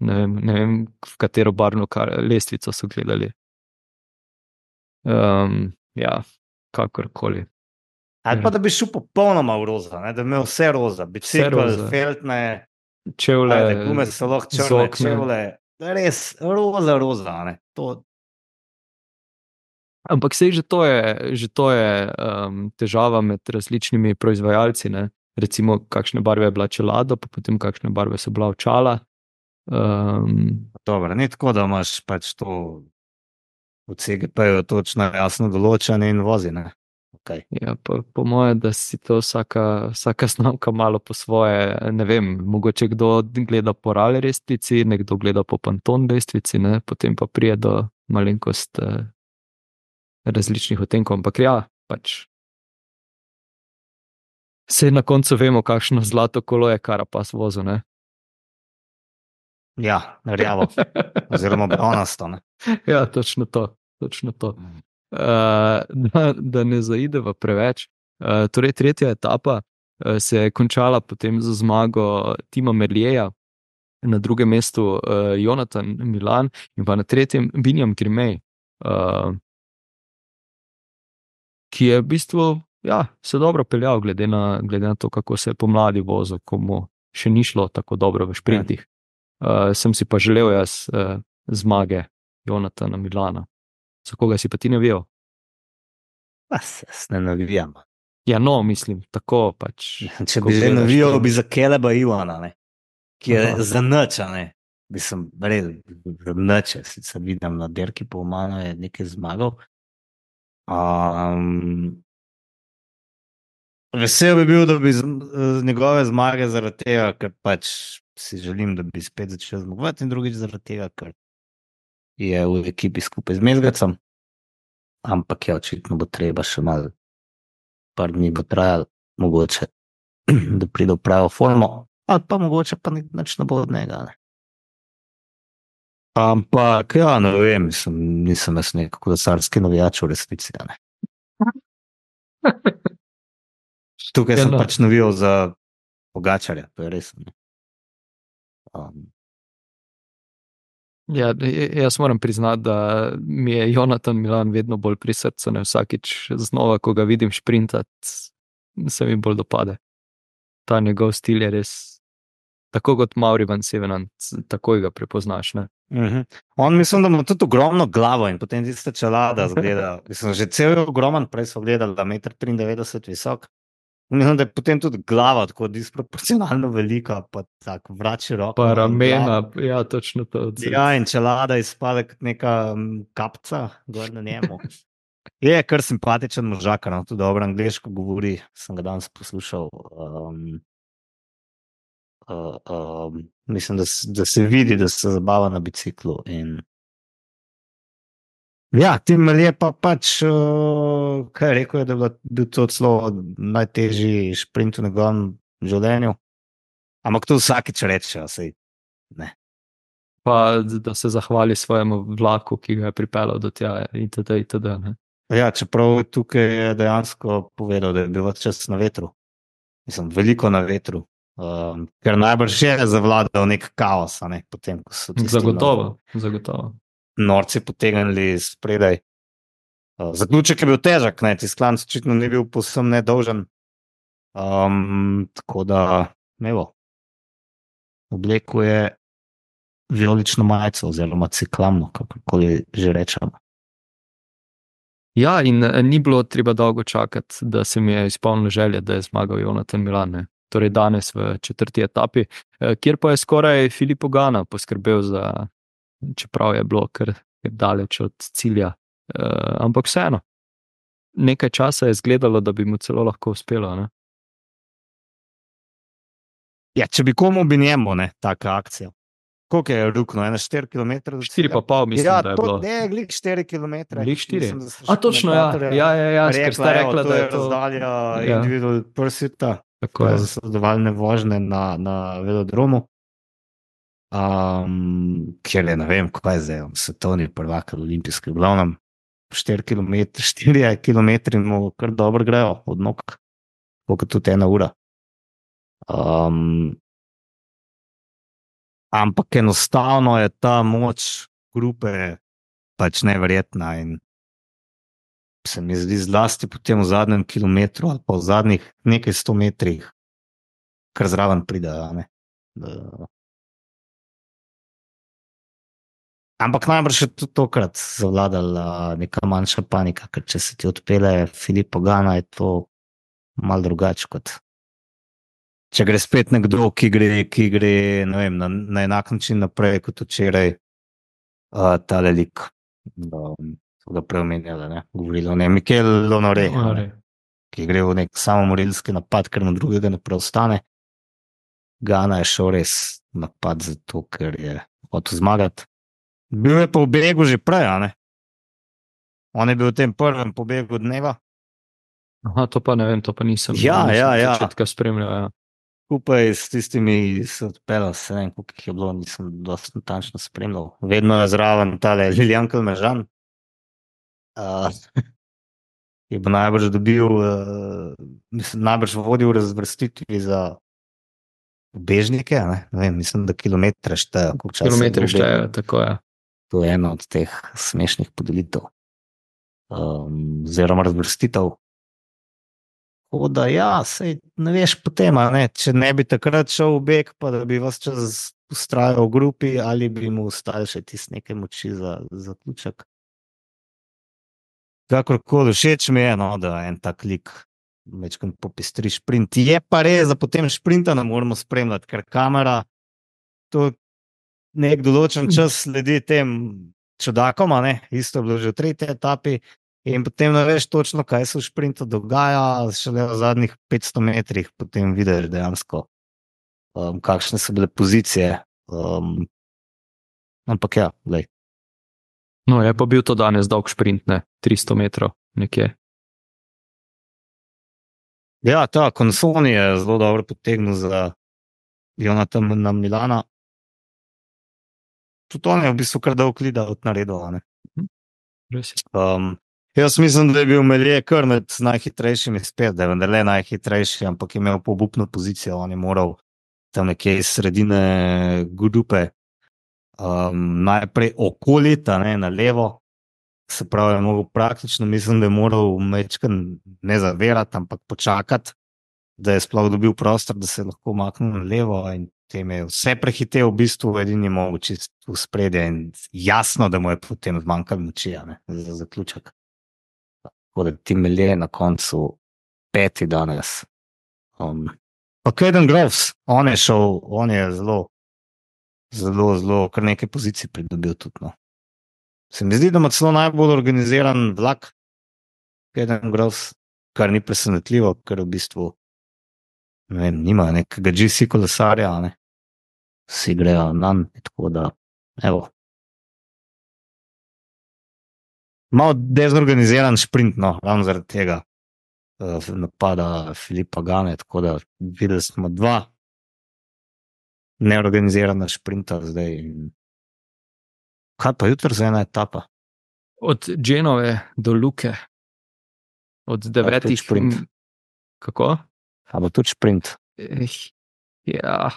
Ne vem, ne vem v katero barvno kar, lestvico so gledali. Um, ja, kakorkoli. Ali pa da bi šel popolnoma v roza, ne? Da bi imel vse roza, bicikl, feltne, čevlje, gume so lahko črne, čevlje, res roza, roza, ne? To... Ampak sej že to je, že to je um, težava med različnimi proizvajalci, ne? Recimo, kakšne barve je bila čelada, pa potem kakšne barve so bila očala. Um, Dobro, ni tako, da imaš pač to v C G P-ju točno jasno določene in vozi, ne? Okay. Ja, pa, po moje, da si to vsaka, vsaka znamka malo po svoje, ne vem, mogoče kdo gleda po RAL lestvici, nekdo gleda po Pantone lestvici, ne? Potem pa prije do malenkost eh, različnih odtenkov, ampak ja, pač se na koncu vemo, kakšno zlato kolo je Carapaz vozil, ne? Ja, rjavo, oziroma bronasto, ne? Ja, točno to, točno to. Uh, da, da ne zaideva preveč. Uh, torej, tretja etapa uh, se je končala potem z zmago Tima Merlieja, na drugem mestu uh, Jonathan Milan in pa na tretjem Binjam Girmay, uh, ki je v bistvu ja, se dobro peljal, glede na, glede na to, kako se je pomladi vozil, ko mu še ni šlo tako dobro v šprintih. Uh, sem si pa želel jaz uh, zmage Jonathana Milana. Za koga si pa ti navijal? Pa se ne navijam. Ja, no, mislim, tako pač. Če bi že navijal, bi za Keleba Ivana, ne? Ki je Aha. za nič, ne? Bi sem red, za nič, sicer vidim na derki, po malo je nekaj zmagal. Um, vesel bi bil, da bi z, z njegove zmage zaradi tega, ker pač si želim, da bi spet začel zmagovati in drugič zaradi tega, ker je v ekipi skupaj z Mezgacom, ampak ja, očitno bo treba še malo, par dni bo trajalo, mogoče, da pride v pravo formo, ali pa mogoče pa nič ne bo od njega. Ne? Ampak, ja, ne vem, mislim, nisem jaz nek kolesarski navijač v resnici. a Ne. Tukaj Ja, sem no. pač navijal za Pogačarja, to je res. ne. Um, Ja, j- jaz moram priznati, da mi je Jonatan Milan vedno bolj pri srcu, ne vsakič znova, ko ga vidim šprintati, se mi bolj dopade. Ta njegov stil je res, tako kot Mauri Van Sevenant, takoj ga prepoznaš. Ne? uh -huh. On mislim, da ima tudi ogromno glavo in potem tiste čelada zgleda. Mislim, že cel je ogroman, prej so gledali, da je meter triindevetdeset visok. Mislim, da je potem tudi glava tako disproporcionalno velika, pa tako vrači roko. Pa ramena, ja, točno to. Ja, in čelada izpade kot neka um, kapca gor na njemu. Je kar simpatičen možakar, no, tudi dobro angliško govori, sem ga danes poslušal. Um, uh, um, mislim, da, s- da se vidi, da se zabava na biciklu. In... Ja, Tim je pa pač, uh, kaj je rekel, je, da je bila- bil to celo najtežji šprint v njegovem življenju. Ampak to vsakič reče, sej ne. Pa da se zahvali svojemu vlaku, ki ga je pripeljal do tja, itd. itd. ne. Ja, čeprav tukaj je dejansko povedal, da je bil ves čas na vetru. Mislim, veliko na vetru. Um, ker najbrž je zavladal nek kaos, a ne, potem, ko so tisti Zagotovo, zagotovo. norci potegnili spredaj. Uh, zaključek je bil težak, ne, tisti klanc očitno ni bil povsem nedolžen. Um, tako da, evo, oblekel je vijolično majico oziroma ciklamno, kakorkoli že rečemo. Ja, in eh, ni bilo treba dolgo čakati, da se mi je izpolnila želja, da je zmagal Jonatan Milan. Ne. Torej danes v četrti etapi, eh, kjer pa je skoraj Filippo Ganna poskrbel za, čeprav je bilo kar, kar daleč od cilja. Uh, ampak vseeno, nekaj časa je izgledalo, da bi mu celo lahko uspelo. Ne. Ja, če bi komu bi njemu, ne, taka akcija. Koliko je rukno, ena štiri kilometre? Štiri pa pol, mislim, ja, da je to, bilo. Ne, glih štiri kilometre. Glih štiri. Mislim, da so A še točno, ja, komentatorja ja, ja, ja, ker ste rekla, rekla, evo, da to je to razdalja Ja. individual pursuita, Tako je. za sodelovalne vožnje na, na velodromu. Um, ker je, ne vem, kaj je zdaj, on svetovni prvak ali olimpijski, v glavnem štiri kilometre, štiri kilometri mu kar dobro grejo od nog, koliko tudi ena ura. Um, ampak enostavno je ta moč grupe pač neverjetna in se mi zdi zlasti potem v zadnjem kilometru ali pa v zadnjih nekaj sto metrih, kar zraven pride. a ne. Da- Ampak najbrž je tudi tokrat zavladala neka manjša panika, ker če se ti odpele Filippo Ganna, je to malo drugače kot če gre spet nekdo, ki gre, ki gre ne vem, na, na enak način naprej kot včeraj uh, tale lik. Um, so ga preomenjali, ne, govorili o ne, Mikel Lonore, a ne, Honore. ki gre v nek samomorilski napad, ker mu drugega ne preostane. Gana je šel res v napad zato, ker je hotel zmagati. Bil je pa v begu že prej, a ne? On je bil v tem prvem pobegu dneva, Aha, to pa ne vem, to pa nisem, Ja, nisem ja, od ja. začetka spremljal. Ja. skupaj s tistimi, ki so odpeljali, se ne vem, koliko jih je bilo, nisem dosti natančno spremljal. Vedno je zraven tale Lilian Kalmežan. Uh, je bo najbrž dobil, uh, mislim, najbrž vodil v razvrstitvi za ubežnike, a ne? Ne vem, mislim, da kilometre štejejo. koliko časa je Kilometri bil v begu. štejejo, tako je. To je ena od teh smešnih podelitev, um, oziroma razvrstitev. Tako da, ja, sej ne veš potem, a ne, če ne bi takrat šel v beg, pa da bi vas čas ustrajal v grupi, ali bi mu ostali še tiste neke moči za za zaključek. Kakorkoli, všeč mi je, no, da en tak lik večkrat popestri šprint. Je pa res, da potem šprinta ne moremo spremljati, ker kamera to nek določen čas sledi tem čudakom, a ne, isto je bilo že v tretji etapi. In potem ne veš točno, kaj se v šprintu dogaja, šele v zadnjih petsto metrih potem vidiš dejansko, um, kakšne so bile pozicije. Um, ampak ja, glej. No, je pa bil to danes dolg šprint, ne, tristo metrov nekje. Ja, ta Consoni je zelo dobro potegnil za Jonatana Milana. tudi on je v bistvu kar dolg lida od naredil. Res je. Um, jaz mislim, da je bil Melje kar med najhitrejšimi spet, da je vendar le najhitrejši, ampak je imel pobupno pozicijo, on je moral tam nekje iz sredine grupe um, najprej okolita, ne, na levo, se pravi, je mogel praktično, mislim, da je moral mečkan ne zaverati, ampak počakati, da je sploh dobil prostor, da se je lahko maknil na levo in tem je vse prehitev, v bistvu edini mogel čist v spredje in jasno, da mu je potem zmanjkalo moči, ne, za zaključek. Tako da ti Melje na koncu peti danes. Um, pa Caden Groves, on je šel, on je zelo, zelo, zelo, kar nekaj pozicij pridobil tudi, no. Se mi zdi, da ima celo najbolj organiziran vlak, Caden Groves, kar ni presenetljivo, ker v bistvu ne vem, nima nekega G C kolesarja, ne. Vsi grejo nanj, tako da, evo. Malo dezorganiziran šprint, no, ravno zaradi tega uh, napada Filipa Gane, tako da videli smo dva neorganizirana šprinta zdaj. Kaj pa jutri za ena etapa? Od Genove do Luke, od devetih sprint. Kako? A bo tudi šprint? Eh, ja.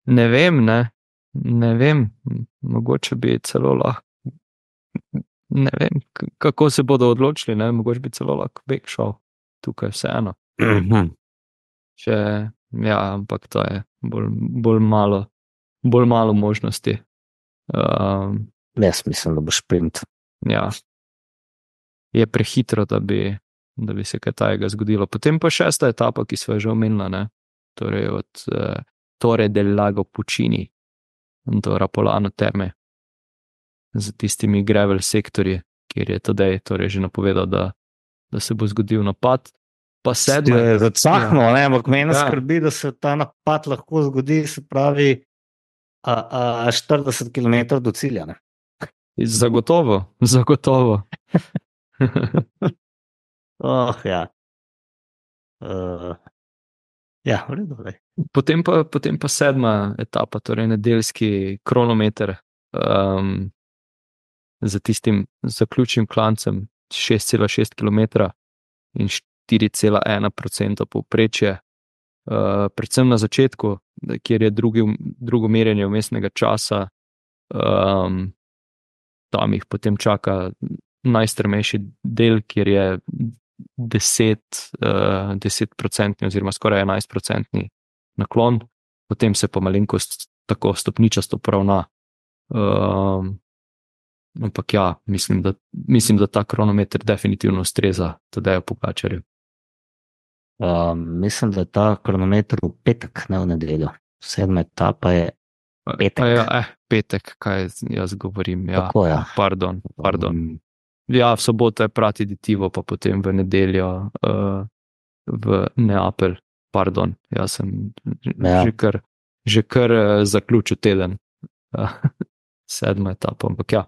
Ne vem, ne. Ne vem, mogoče bi celo lahko, ne vem, kako se bodo odločili, ne, mogoče bi celo lahko bek šel tukaj vseeno. Mhm. Če, ja, ampak to je bolj, bolj malo, bolj malo možnosti. Um, Jaz mislim, da bo šprint. ja. Je prehitro, da bi, da bi se kaj tajega zgodilo. Potem pa šesta etapa, ki sva že omenila, ne, torej od uh, Torre del Lago Puccini do Rapolano Terme z tistimi gravel sektorji, kjer je tedaj torej že napovedal, da, da se bo zgodil napad. Pa sedma je zacahno, ja. Ne, ampak mene Ja. skrbi, da se ta napad lahko zgodi, se pravi, a, a štirideset kilometrov do cilja, ne. Zagotovo, zagotovo. Oh, ja. Uh, ja, v redu, ne. Potem pa, potem pa sedma etapa, torej nedeljski kronometer um, za tistim zaključnim klancem šest cela šest kilometra in štiri cela ena procenta povprečje. Uh, predvsem na začetku, kjer je drugi, drugo merjenje vmesnega časa, um, tam jih potem čaka najstrmejši del, kjer je deset, uh, deset procentni oziroma skoraj enajst procentni naklon, potem se pa malenkost tako stopničasto poravna. Um, ampak ja, mislim da, mislim, da ta kronometer definitivno ustreza Tadeju Pogačarju. Um, mislim, da je ta kronometer v petek, ne v nedeljo. Sedma etapa je petek. Pa ja, eh, petek, kaj jaz govorim. Ja, Tako, ja. Pardon, pardon. Um, Ja, v soboto je Pratiditivo, pa potem v nedeljo uh, v Neapelj. Pardon, jaz sem Ja. že kar, že kar uh, zaključil teden. Uh, sedma etapa, ampak ja.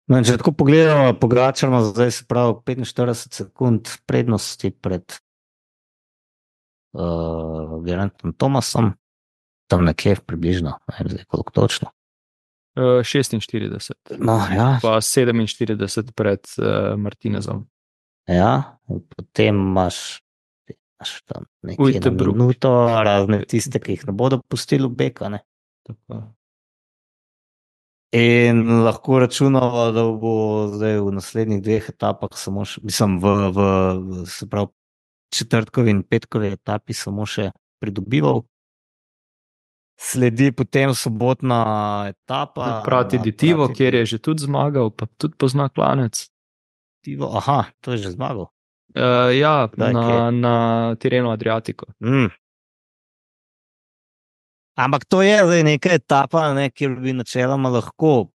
No, če tako pogledamo, Pogačar ima zdaj se pravi petinštirideset sekund prednosti pred uh, Gerantom Thomasom, tam nekje približno, ne vem zdaj koliko točno. Uh, šestinštirideset, No, ja, pa sedeminštirideset pred uh, Martinezom. ja, in potem imaš, imaš tam nekje Ujte na Bruk. minuto, razne tiste, ki jih ne bodo pustili v beka, ne. Tako. In lahko računamo, da bo zdaj v naslednjih dveh etapah samo še, mislim, v, v, v se pravi, četrtkovi in petkovi etapi samo še pridobival. Sledi potem sobotna etapa. Pratiditivo, Prati- kjer je že tudi zmagal, pa tudi pozna klanec. Divo, aha, to je že zmagal. Uh, ja, Kdaj, na, kje? na Tirreno Adriatico. Mm. Ampak to je zdaj neka etapa, ne, kjer bi načeloma lahko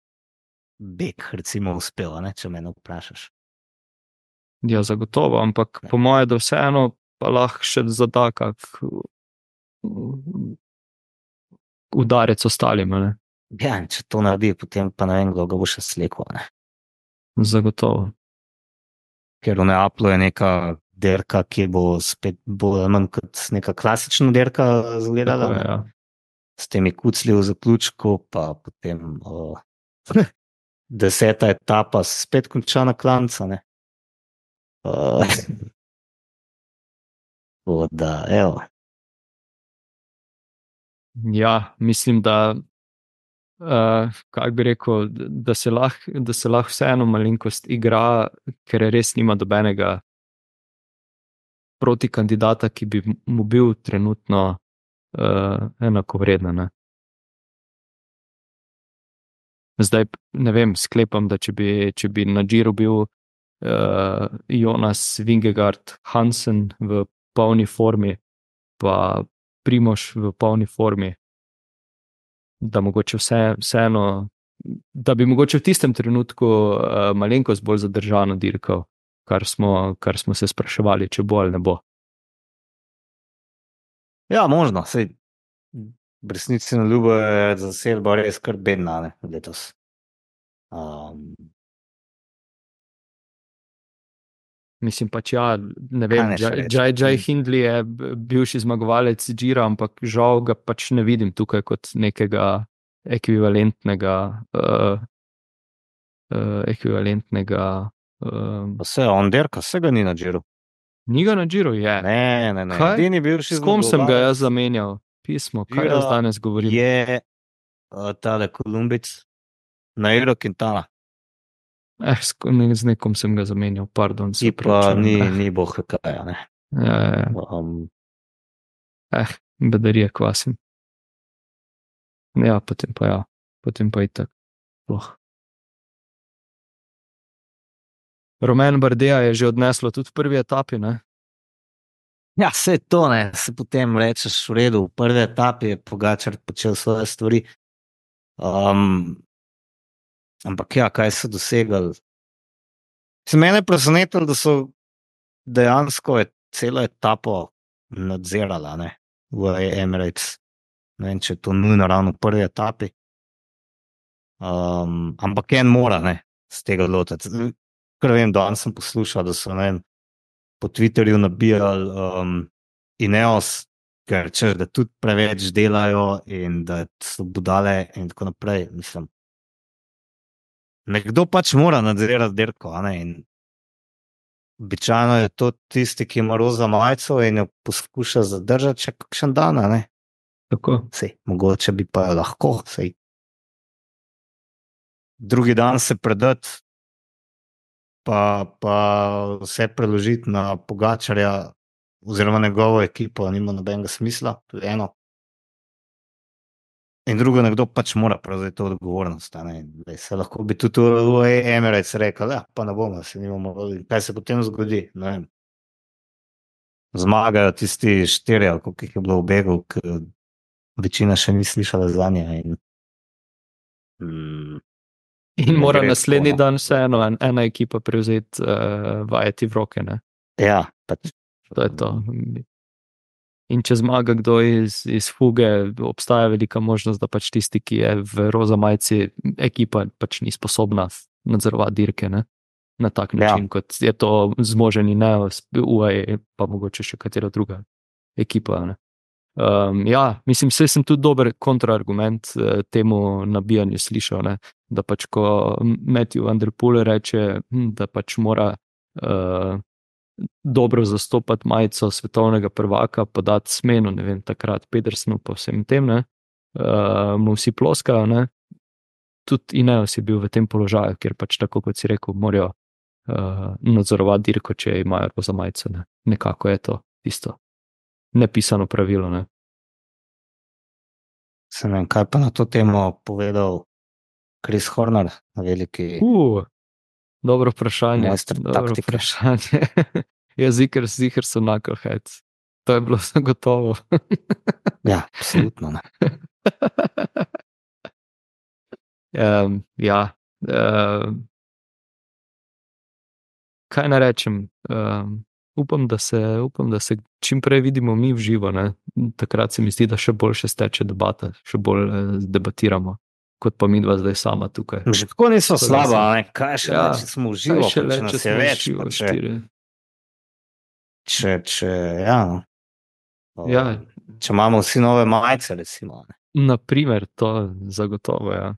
bek recimo uspel, ne, če me vprašaš. Ja, zagotovo, ampak po moje, da vseeno pa lahko še zada kak udarec ostalim. Ne? Ja, in če to naredi, potem pa ne vem, kdo ga bo še slekel. Ne. Zagotovo. Ker v Neaplu je neka derka, ki bo spet bolj ali manj kot neka klasična derka izgledala. Tako je, Ne. ja. s temi kucli v zaključku, pa potem uh, deseta etapa spet konča na klanca. Ne? Uh, da, evo. Ja, mislim, da, uh, kako bi rekel, da se lahko lah vseeno malenkost igra, ker res nima dobenega proti kandidata, ki bi mu bil trenutno uh, enakovreden. Zdaj, ne vem, sklepam, da če bi, če bi na Giro bil uh, Jonas Vingegaard Hansen v polni formi, pa Primož v polni formi, da mogoče vse, vseeno, da bi mogoče v tistem trenutku uh, malenkost bolj zadržano dirkal, kar smo, kar smo se spraševali, če bo ali ne bo. Ja, možno, sej v resnici na ljubo je zasedba res kar bedna, ne, letos. Um, Mislim pač, ja, ne vem, Jai Jai Hindley je bivši zmagovalec Gira, ampak žal ga pač ne vidim tukaj kot nekega ekvivalentnega uh, uh, ekvivalentnega uh, pa se on derka, se ga ni na Giru. Ni ga na Giru, je. Ne, ne, ne. Edini bivši S kom sem ga jaz zamenjal? Pismo, kaj jaz danes govorim? Je uh, tale Kolumbic na Euro Quintana. Eh, z nekom sem ga zamenjal, pardon. Ti pa ni, ni boh kaj, ne. Ja, ja. Um, eh, bedarije kvasim. Ja, potem pa ja, potem pa itak. Loh. Romain Bardet je že odneslo tudi v prvi etapi, ne? Ja, vse to, ne, se potem rečeš v redu, v prvi etapi je Pogačar počel svoje stvari. Um, ampak ja, kaj so dosegali? Se mene presenetilo, da so dejansko celo etapo nadzirala, ne, v Emirates. Ne vem, če je to nujno ravno v prvi etapi. Um, ampak en mora, ne, z tega lotiti. Ker vem, danes sem poslušal, da so, ne vem, po Twitterju nabijali um, Ineos, ker če da tudi preveč delajo in da so budale in tako naprej, mislim. Nekdo pač mora nadzirati dirko, a ne, in običajno je to tisti, ki ima roza majico in jo poskuša zadržati še kakšen dan, a ne. Tako. Sej, mogoče bi pa jo lahko, sej. Drugi dan se predati, pa, pa vse preložiti na Pogačarja oziroma njegovo ekipo, nima nobenega smisla, to je eno. In drugo, nekdo pač mora prevzeti to odgovornost. Se lahko bi tudi v Emirates rekel, ja, pa ne bomo, se nimamo, kaj se potem zgodi, ne vem. Zmagajo tisti štiri, ali koliko jih je bilo v begu, ker večina še ni slišala za nje. In, mm, in mora naslednji tako, dan vseeno en, ena ekipa prevzeti uh, vajeti v roke, ne? Ja, pač. To je to. In če zmaga kdo iz, iz fuge, obstaja velika možnost, da pač tisti, ki je v roza majici, ekipa pač ni sposobna nadzorovati dirke, ne? Na tak način, ja. Kot je to zmoženi Neos, U A E, pa mogoče še katera druga ekipa. Ne? Um, ja, mislim, vse sem tudi dober kontraargument eh, temu nabijanju slišal, ne? Da pač ko Matthew Van Der Poel reče, hm, da pač mora uh, dobro zastopati majico svetovnega prvaka, podati smeno, ne vem, takrat Pedersenu pa vsem tem, ne, uh, mu vsi ploskajo, ne, tudi Ineos je bil v tem položaju, ker pač tako, kot si rekel, morajo uh, nadzorovati dirko, če imajo roza majico, ne, nekako je to tisto nepisano pravilo, ne. Se ne vem, kaj pa na to temo povedal Chris Horner, veliki... Uh. Dobro vprašanje. Dobro vprašanje. Ja, zikr, zikr so knuckleheads. To je bilo zagotovo. Ja, absolutno ne. um, ja. Um, kaj naj rečem? Um, upam, da se, upam, da se čim prej vidimo mi v živo. Ne? Takrat se mi zdi, da še boljše steče debata, še bolj eh, debatiramo. Kot pa mi dva zdaj sama tukaj. Že tako niso slaba, ne? Kaj še ja, le, če smo v živo, če le, če se več, živo, če, če, če, ja, no. ja. Če imamo vsi nove majice, recimo. Ne? Naprimer, to zagotovo, ja.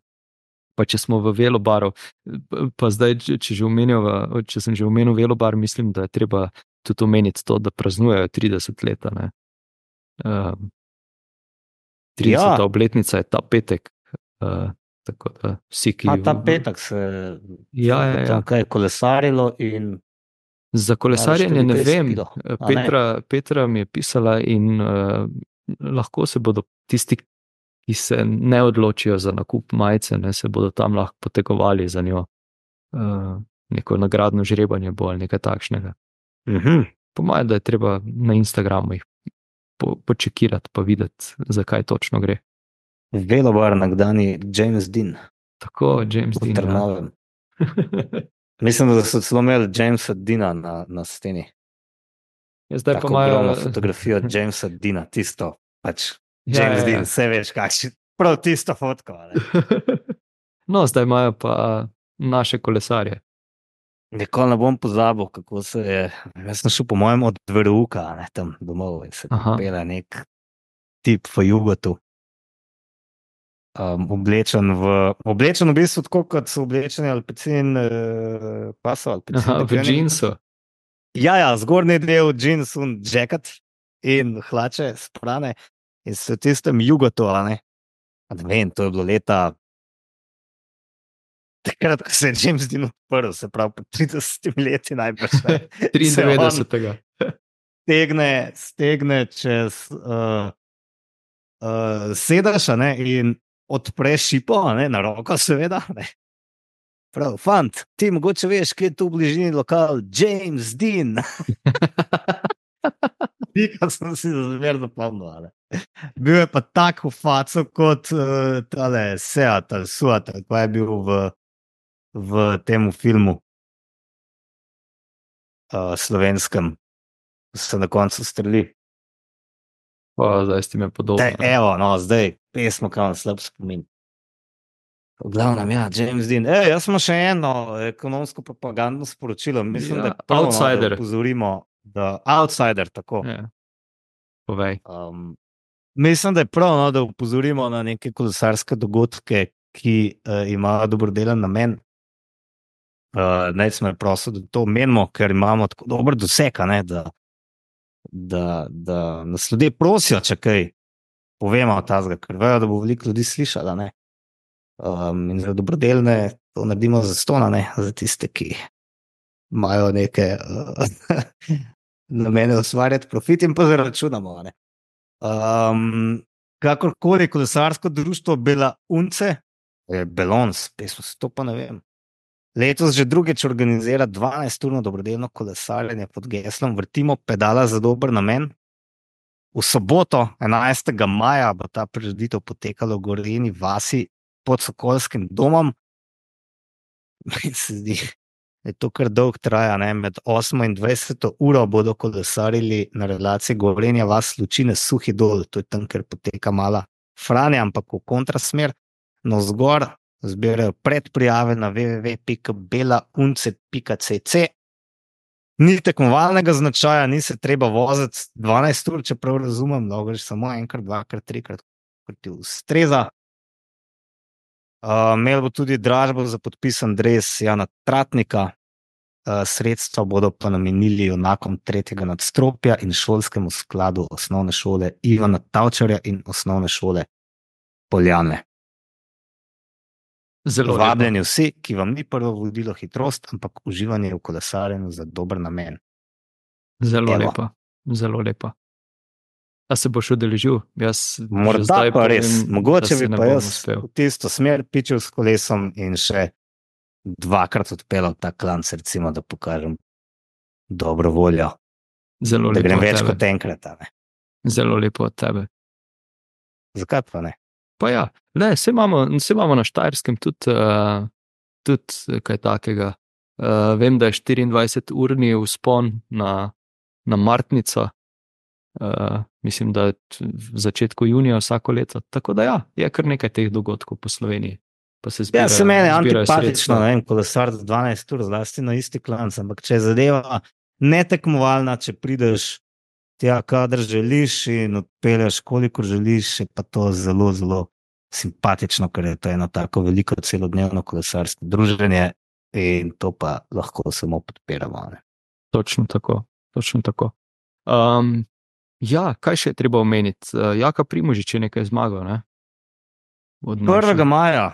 Pa če smo v velobaru, pa zdaj, če, že omenil, če sem že omenil velobar, mislim, da je treba tudi omeniti to, da praznujejo trideset let. Uh, trideseta Ja. obletnica je ta petek. Uh, tako da vsi, ki... A ta petek se Ja, ja, bo ja. tam kaj kolesarilo in Za kolesarjenje najbrž ne tudi kaj vem. spilo, a ne? Petra, Petra mi je pisala in uh, lahko se bodo tisti, ki se ne odločijo za nakup majice, ne, se bodo tam lahko potegovali za njo. Uh, neko nagradno žrebanje bo ali nekaj takšnega. Mhm. Po mojem, da je treba na Instagramu jih po, počekirati pa videti, zakaj točno gre. Velobar nekdani James Dean Tako, James v Dean. Ja. Trnovem. Mislim, da so celo imeli Jamesa Deana na, na steni. Ja, zdaj pa Tako ogromno imajo... fotografijo Jamesa Deana, tisto pač Ja, James ja, ja. Dean, vse veš kakšen, prav tisto fotko. a ne. No, zdaj imajo pa naše kolesarje. Nikoli ne bom pozabil, kako se je, jaz sem šel po mojem od Veruka, ne, tam domov in se Aha. pela nek tip v jugotu. Um, oblečen v, oblečen v bistvu tako, kot so oblečeni Alpecin, uh, pa so Alpecin. Aha, v džinsu. Ja, ja, zgornji del jeans in jacket in hlače sprane in se v tistem jugotu, a ne. A ne vem, to je bilo leta takrat, ko se je James Dean odprl, se pravi po tridesetih leti najbrž. ne. triindevetdesetega. Stegne, stegne čez uh, uh, sedaš, a ne, in odpreš šipo, a ne, na roko seveda, ne. Prav, fant, ti mogoče veš, kje je tu v bližini lokal James Dean. Pika sem si zmer zapomnil, a ne. Bil je pa tak v faco kot uh, tale Seat ali Suat, ali pa je bil v, v temu filmu uh, slovenskem, se na koncu streli. Pa zdaj ste me podobno. Daj, evo, no, zdaj pesmo, kam slab spomin. V glavnem, ja, James Dean. E, jaz smo še eno ekonomsko propagandno sporočilo. Mislim, Ja, da je prav, no, outsider. da opozorimo, da outsider, tako. Ja. Povej. Um, mislim, da je prav, no, da opozorimo na neke kolesarske dogodke, ki uh, imajo dobrodelen namen. Uh, naj smo prosil, da to menimo, ker imamo tako dober doseg, a ne, da, da, da nas ljudje prosijo, če kaj povemo o tazga, ker vejo, da bo veliko ljudi slišala, ne. Um, in za dobrodelne to naredimo za stona, ne, za tiste, ki imajo neke uh, namene ustvarjati profit in pa zaračunamo, ne. Um, kakorkoli kolesarsko društvo Bela Unce, je Belons, pesmo se to pa ne vem. Letos že drugič organizira dvanajsturno dobrodelno kolesarjenje pod geslom Vrtimo pedala za dober namen. V soboto, enajstega maja, bo ta prireditev potekala v Gorenji vasi pod Sokolskim domom. Meni se zdi, da je to kar dolg traja, ne? Med osmo in dvajseto uro bodo kolesarili na relaciji Gorenja vas Lučine Suhi dol, to je tam, kjer poteka mala Franja, ampak v kontrasmer, no zgor zbirajo predprijave na w w w pika belaunce pika c c. Ni tekmovalnega značaja, ni se treba voziti dvanajst ur, če prav razumem, lahko greš samo enkrat, dvakrat, trikrat, kot ti ustreza. Uh, imel bo tudi dražbo za podpisan dres Jana Tratnika, uh, sredstva bodo pa namenili junakom tretjega nadstropja in šolskemu skladu osnovne šole Ivana Tavčarja in osnovne šole Poljane. Zelo lepo. Vabljeni vsi, ki vam ni prvo vodilo hitrost, ampak uživanje v kolesarjenju za dober namen. Zelo Evo. lepa. Zelo lepa. A se boš udeležil? Jaz že Morda zdaj pa res, povem, da mogoče se bi ne pa bom jaz uspel. v tisto smer pičil s kolesom in še dvakrat odpeljal ta klanc, recimo, da pokažem dobro voljo, Zelo da lepo grem od več tebe. kot enkrat. a ne. Zelo lepo od tebe. Zakaj pa ne? Pa ja, ne, se imamo, se imamo na Štajerskem tudi, uh, tudi kaj takega. Uh, vem, da je štiriindvajseturni vzpon na, na Martnico. Uh, mislim, da je t- v začetku junija vsako leto. Tako da ja, je kar nekaj teh dogodkov po Sloveniji. Pa se Ja, zbirajo, se meni je zbirajo antipatično, sredstva. ne vem, kolesar za dvanajst ur, zlasti na isti klanc, ampak če je zadeva netekmovalna, če prideš tja, kadar želiš in odpelješ, kolikor želiš, je pa to zelo, zelo simpatično, ker je to eno tako veliko celodnevno kolesarsko druženje in to pa lahko samo podpiramo. Ne? Točno tako, točno tako. Um, ja, kaj še je treba omeniti? Uh, Jaka Primožič je nekaj zmagal, ne? Od naših. prvega maja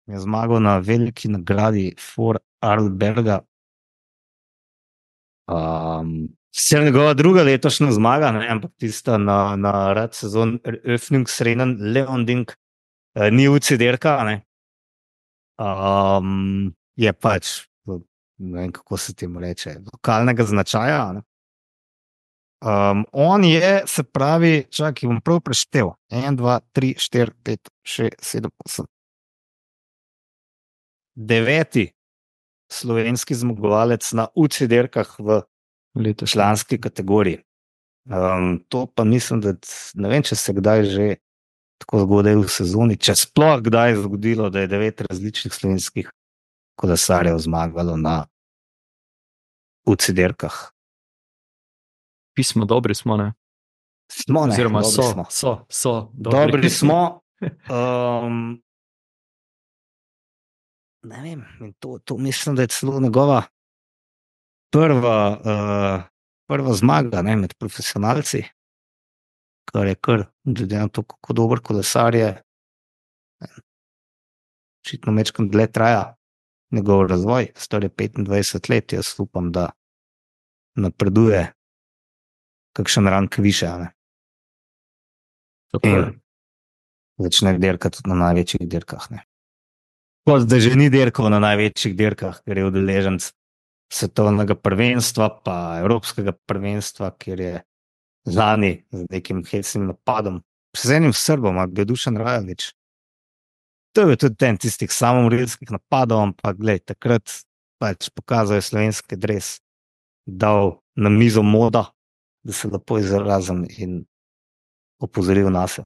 je zmagal na veliki nagradi For Arlberga. Um, Sicer njegova druga letošnja zmaga, ne, ampak tista na, na rad sezon Öffnungsrennen Leonding eh, ni U C I dirka, ne. Um, je pač, ne vem, kako se temu reče, lokalnega značaja. Ne. Um, on je, se pravi, čakaj, bom prav preštel. en, dva, tri, štiri, pet, šest, sedem, osem. Deveti slovenski zmagovalec na U C I dirkah v Letošnji. članski kategoriji. Um, to pa mislim, da ne vem, če se kdaj že tako zgodaj v sezoni, če sploh kdaj je zgodilo, da je devet različnih slovenskih kolesarjev zmagalo na U C I dirkah. Pismo, dobri smo, ne? Smo, ne, Oziroma dobri so, smo. so, so. Dobri smo. Um, ne vem, in to, to mislim, da je celo njegova prva, uh, prva zmaga, ne, med profesionalci, kar je kar, glede na to, kako dober kolesar je, očitno mečkam dlje traja njegov razvoj, star je petindvajset let, jaz upam, da napreduje kakšen rank više, a ne. Tako je. In začne dirkati na največjih dirkah, ne. Kot da že ni dirkal na največjih dirkah, ker je udeleženec svetovnega prvenstva, pa evropskega prvenstva, kjer je lani z nekim hecnim napadom, z enim Srbom, ali je Dušan Rajović. To je tudi ten tistih samomorilskih napadov, ampak glej, takrat pač pokazal je slovenski dres, dal na mizo moda, da se lepo izrazim in opozoril nase.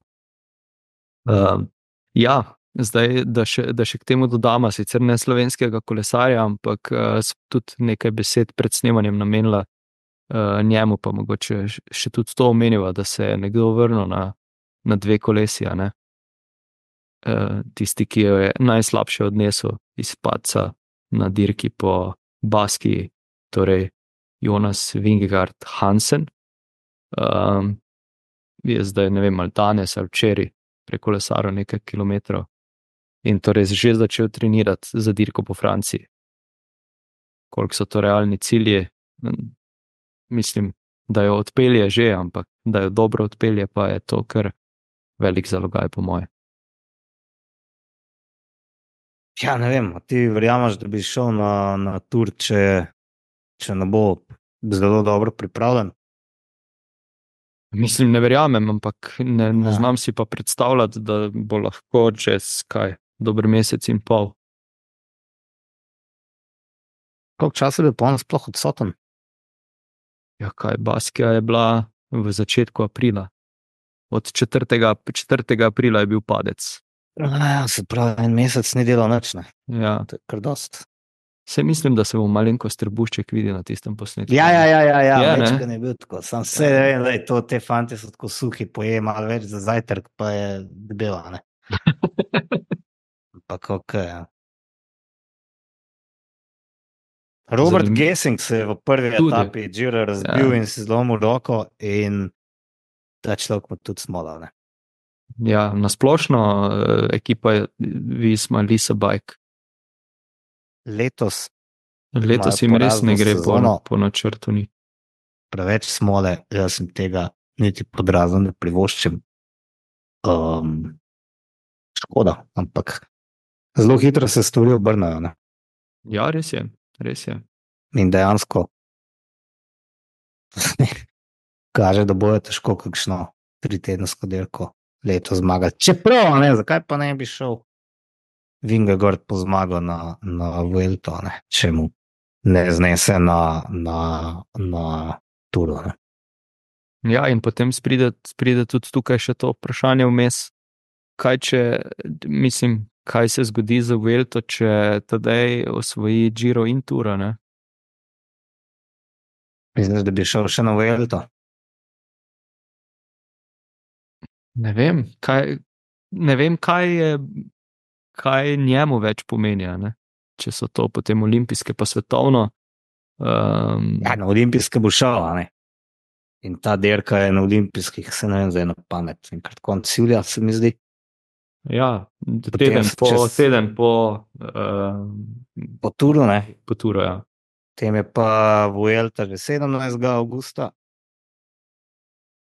Um, ja, zdaj, da še, da še k temu dodama, sicer ne slovenskega kolesarja, ampak uh, tudi nekaj besed pred snemanjem namenila uh, njemu, pa mogoče še tudi to omeniva, da se je nekdo vrnil na, na dve kolesi, a ne. Uh, tisti, ki jo je najslabše odnesel iz padca na dirki po Baskiji, torej Jonas Vingegaard Hansen, um, je zdaj, ne vem, ali danes ali včeraj prekolesaril nekaj kilometrov in torej že začel trenirati za dirko po Franciji. Koliko so to realni cilji? Mislim, da jo odpelje že, ampak da jo dobro odpelje, pa je to kar velik zalogaj po moje. Ja, ne vem, a ti verjameš, da bi šel na, na tur, če, če ne bo zelo dobro pripravljen? Mislim, ne verjamem, ampak ne, ne Ja. znam si pa predstavljati, da bo lahko čez kaj, dober mesec in pol. Koliko časa je bil pa on sploh odsoten? Ja, kaj, Baskija je bila v začetku aprila. Od četrtega, četrtega aprila je bil padec. Ja, se pravi, en mesec ni delal nič, ne. Ja, To je kar dost. se mislim, da se bo malenkost trebušček videl na tistem posnetku. Ja, ja, ja, ja, ja. Je, ne? Večkrat je bil tako. Sam se vem, da je to, te fante so tako suhi, poje malo več za zajtrk, pa je debela, ne. Ampak ok, ja. Robert Zanimivo. Gesing se je v prvi Tudi. etapi Gira razbil Ja. in si zlomil roko in ta človek pa tudi smolal, ne. Ja, nasplošno eh, ekipa je Visma, Lisa Bike. Letos Letos Imajo jim res porazno ne gre po, sezono. po načrtu. Ni. preveč smole, jaz sem tega niti pod razno ne privoščim. Um, škoda, ampak zelo hitro se stvari obrnajo, ne. Ja, res je, res je. In dejansko kaže, da bojo težko kakšno tritedensko dirko leto zmagati. Čeprav, ne, zakaj pa ne bi šel Vingegaard po zmago na, na Vuelto, ne, če mu ne znese na, na, na Turu, ne. Ja, in potem spride, spride tudi tukaj še to vprašanje vmes, kaj če, mislim, kaj se zgodi za Vuelto, če Tadej osvoji Giro in Tura, ne? Misliš, da bi šel še na Vuelto? Ne vem, kaj, ne vem, kaj je, kaj njemu več pomeni, a ne? Če so to potem olimpijske, pa svetovno. Um, Ja, na olimpijske bo šel, a ne. In ta dirka je na olimpijskih, se ne vem, zdaj na pamet. In krat konc julija, se mi zdi. ja, Potem teden se po, čez- teden po, um, Po turu, ne. po turu, ja. Tem je pa Vuelta že sedemnajstega avgusta.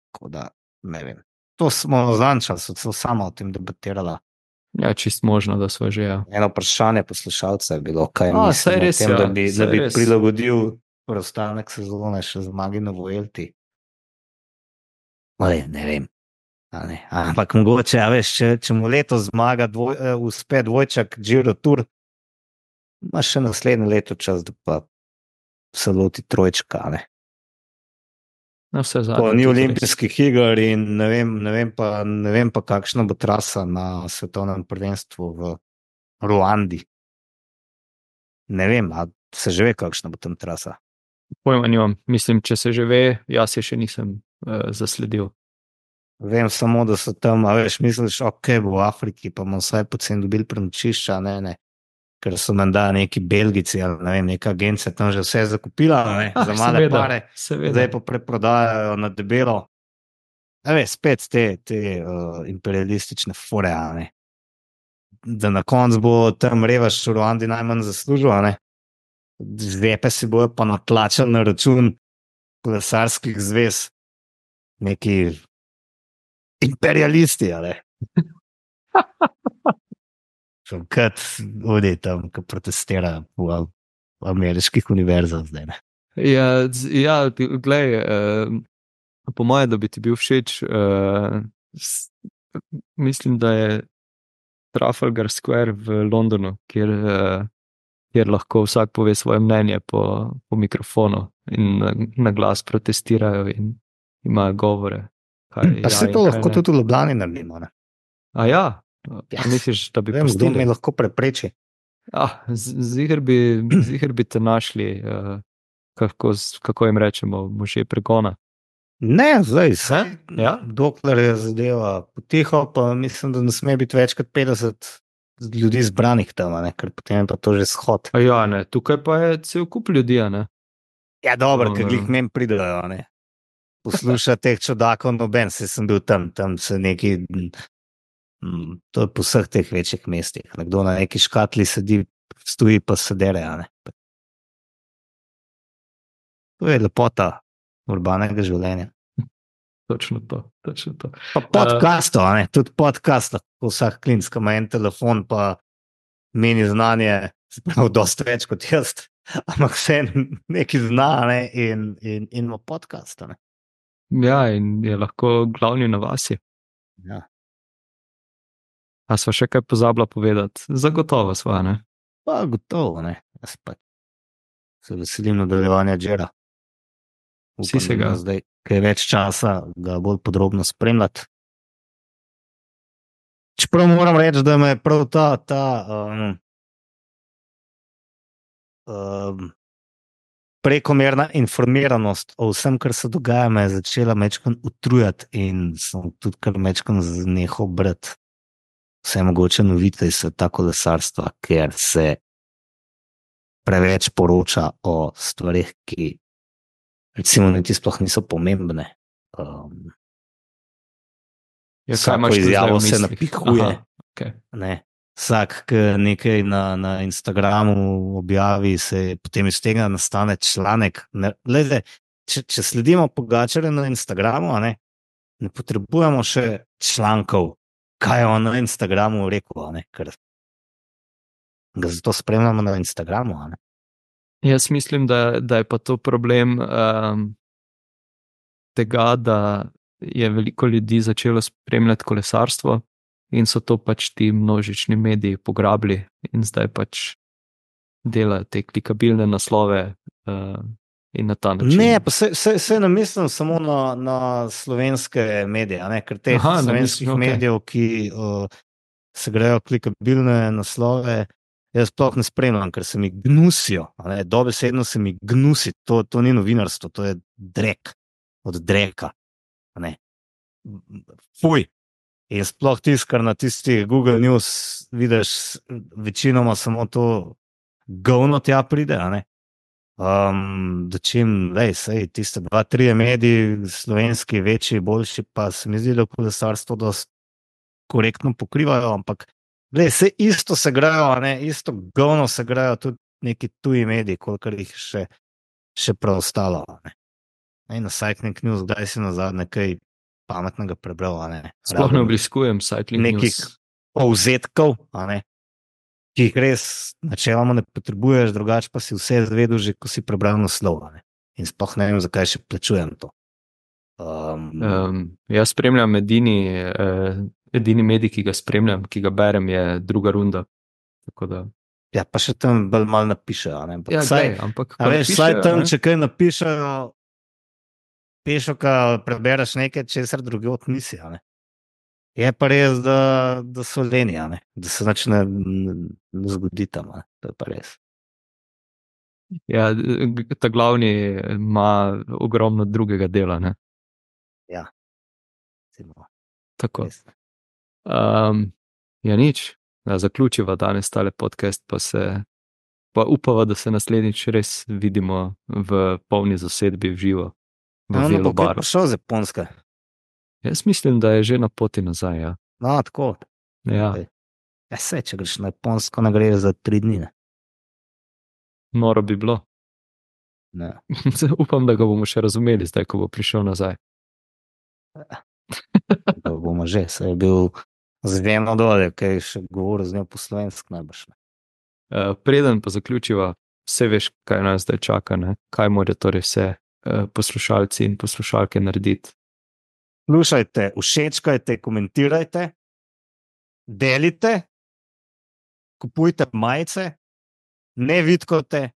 Tako da, ne vem. To smo zančali, so se sama o tem debatirala. Ja, čist možno, da smo že, ja. Eno vprašanje poslušalca je bilo, kaj A, misli saj o res, tem, ja, da bi, saj da bi res. prilagodil preostanek sezone še zmagi na Vuelti. Ale, ne vem. A ne. Ampak mogoče, a veš, če, če mu letos zmaga dvoj, uh, uspe dvojčak Giro Tour, ima še naslednje leto čas, da pa se loti trojčka, a ne. Na vse Ko zadnje. ni tudi res. olimpijskih iger in ne vem, ne vem pa, ne vem pa kakšna bo trasa na svetovnem prvenstvu v Ruandi. Ne vem, a se že ve, kakšna bo tam trasa. Pojma nimam, mislim, če se že ve, jaz je še nisem uh, zasledil. Vem samo, da so tam, a veš, misliš, ok, bo v Afriki, pa bomo vsaj poceni dobili prenočišča, ne, ne. Ker so menda neki Belgici ali ne vem, neka agencija tam že vse zakupila, ne, Ah, za male seveda, pare, seveda. zdaj pa preprodajajo na debelo. A veš, spet te, te uh, imperialistične fore, a ne. Da na koncu bo tam revaš v Ruandi najmanj zaslužil, a ne. Zvepe si bojo pa natlačali na račun kolesarskih zvez neki imperialisti, ali? Kot oni tam, ki protestirajo v, v ameriških univerzah zdaj. Ne? Ja, z- ja glej, uh, po mojem, da bi ti bil všeč, uh, s, mislim, da je Trafalgar Square v Londonu, kjer, uh, kjer lahko vsak pove svoje mnenje po, po mikrofonu in na, na glas protestirajo in imajo govore. Kaj, Pa ja se in to kaj lahko ne. tudi v Ljubljani naredimo. Ne? A ja, Ja, a misliš, da bi vem, kdo pustili? mi lahko prepreči. Ah, z- ziher bi, ziher bi te našli, uh, kako, s- kako jim rečemo, možje pregona. Ne, zdaj, vse, Ja? dokler je zadeva potiho, pa mislim, da ne sme biti več kot petdeset ljudi zbranih tam, a ne? Ker potem je pa to že shod. A ja, ne, tukaj pa je cel kup ljudi, a ne. Ja, dobro, No, ker ne. glih mem pridejo, a ne. Posluša teh čudakov, noben, se sem bil tam, tam se neki, mm, to je po vseh teh večjih mestih. Nekdo na neki škatli sedi, stoji pa se dere, a ne. To je lepota urbanega življenja. Točno to, točno to. Pa podcastov, a ne, tudi podcast, ko vsak klinc, ki ima en telefon, pa meni znanje, se pravi, dosti več kot jaz, ampak vse nekaj zna, a ne, in, in, in ima podcast, a ne. Ja, in je lahko glavni na vasi. Ja. A sva še kaj pozabila povedati? Zagotovo sva, ne? Pa gotovo, ne, jaz pa se veselim nadaljevanja Džera. Vsi se da ga. ima zdaj kaj več časa, ga bolj podrobno spremljati. Čeprav moram reči, da me je prav ta, ta um, um, prekomerna informiranost o vsem, kar se dogaja, me je začela mečkam utrujati in sem tudi kar mečkam znehal brati vse mogoče novice iz sveta kolesarstva, ker se preveč poroča o stvarih, ki recimo niti sploh niso pomembne. Um, Ja, kaj vsako imaš tu zdaj izjavo v se mislih? napihuje. Aha, okej. Ne. Vsak, ki nekaj na, na Instagramu objavi, se potem iz tega nastane članek. Ne, glede, če, če sledimo Pogačarju na Instagramu, a ne, ne potrebujemo še člankov, kaj je on na Instagramu rekel, a ne, ker ga zato spremljamo na Instagramu. A ne. Jaz mislim, da, da je pa to problem um, tega, da je veliko ljudi začelo spremljati kolesarstvo in so to pač ti množični mediji pograbili in zdaj pač delajo te klikabilne naslove uh, in na ta način. Ne, pa se, se, se ne mislim samo na, na slovenske medije, a ne, ker teh Aha, ne slovenskih mislim, okej. medijev, ki uh, se grejo klikabilne naslove, jaz sploh ne spremljam, ker se mi gnusijo. a ne, Dobesedno se mi gnusi, to, to ni novinarstvo, to je drek od dreka. a Ne. Fuj, In sploh tiskar na tistih Google News, vidiš, večinoma samo to govno tja pride, a ne? Um, da čim, lej, sej, tiste dva, trije mediji, slovenski, večji, boljši, pa se mi zdi, da kolesarstvo dosti korektno pokrivajo, ampak, lej, sej isto se grejo, a ne, isto govno se grejo tudi neki tuji mediji, kolikor jih še, še preostalo, a ne. In na Cycling News, kdaj si nazadnje kaj pametnega prebral, a ne. Sploh ne obiskujem Cycling nekih News. povzetkov, a ne, ki jih res načeloma ne potrebuješ, drugače pa si vse zvedel že, ko si prebral naslov, a ne. In sploh ne vem, zakaj še plačujem to. Um, Um, jaz spremljam edini, eh, edini medij, ki ga spremljam, ki ga berem, je Druga runda. Tako da, ja, pa še tam bolj malo napišejo, a ne. Ampak ja, saj, glej, ampak a ko veš, pišejo, saj tam, ne, če kaj napišejo, pešoka prebereš nekaj, česar drugot nisi, a ne. Je pa res, da, da so leni, a ne, da se nič ne, ne zgodi tam, a ne. To je pa res. ja, g- ta glavni ima ogromno drugega dela, ne. Ja. Recimo, Tako. res. Um, ja, nič. Da zaključiva danes tale podcast, pa se pa upava, da se naslednjič res vidimo v polni zasedbi v živo v No, no, bo kaj Velobaru. prišel z Japonske. Jaz mislim, da je že na poti nazaj, ja. No, tako. Ja, Okay. Ja, se, če greš na Japonsko, ne greš za tri dni, ne. noro bi bilo. Ne. Upam, da ga bomo še razumeli zdaj, ko bo prišel nazaj. Da bomo že, se je bil z eno dolje, kaj je še govoril z njo po slovensko najbrž. Ne. Uh, preden pa zaključiva, vse veš, kaj nas zdaj čaka, ne? Kaj morajo torej vse uh, poslušalci in poslušalke narediti. Slušajte, všečkajte, komentirajte, delite, kupujte majice, ne vidkote,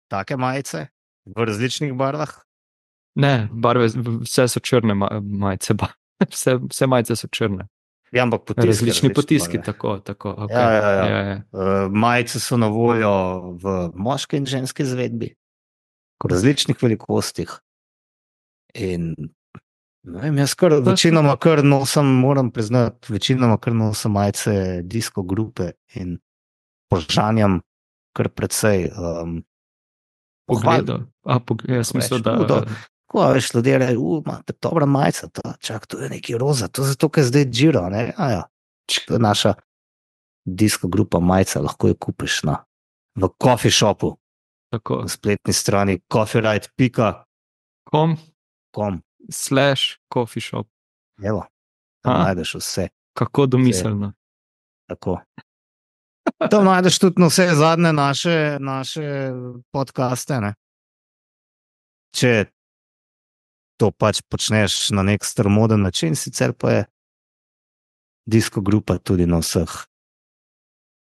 take majice v različnih barvah. Ne, barve, vse so črne ma- majice, ba- vse, vse majice so črne. Ja, ampak potiski Različni različne potiski, barve. tako, tako. Okay. Ja, ja, ja. Ja, ja. Uh, majice so na voljo v moški in ženski izvedbi, v različnih velikostih. In ne vem, jaz kar večinoma kar nosim, moram priznati, večinoma kar nosim majice disko grupe in požanjam kar precej um, pohval. Pogledal. A, pog jaz Veš, mislim, da... hudo. Ko veš, ljudje reče, u, imate dobra majica, ta, čak, to je neki roza, to je zato, ker je zdaj Giro, ne, a ja, to je naša disko grupa majica, lahko jo kupiš na, v coffee shopu, Tako. na spletni strani coffeerite pika com. Com slash coffee shop. Evo, tam A? najdeš vse, Kako domiselno. tako. Tam najdeš tudi na vse zadnje naše, naše podcaste, ne. Če to pač počneš na nek starmoden način, sicer pa je disko grupa tudi na vseh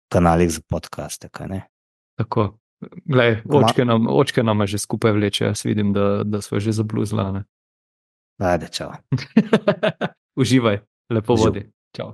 kanalih za podcaste, kaj ne? Tako. Glej, Ma- očke nam, očke nama že skupaj vleče, jaz vidim, da, da smo že zabluzla, ne. Ajde, čau. Uživaj, lepo Uživ. vodi. Čau.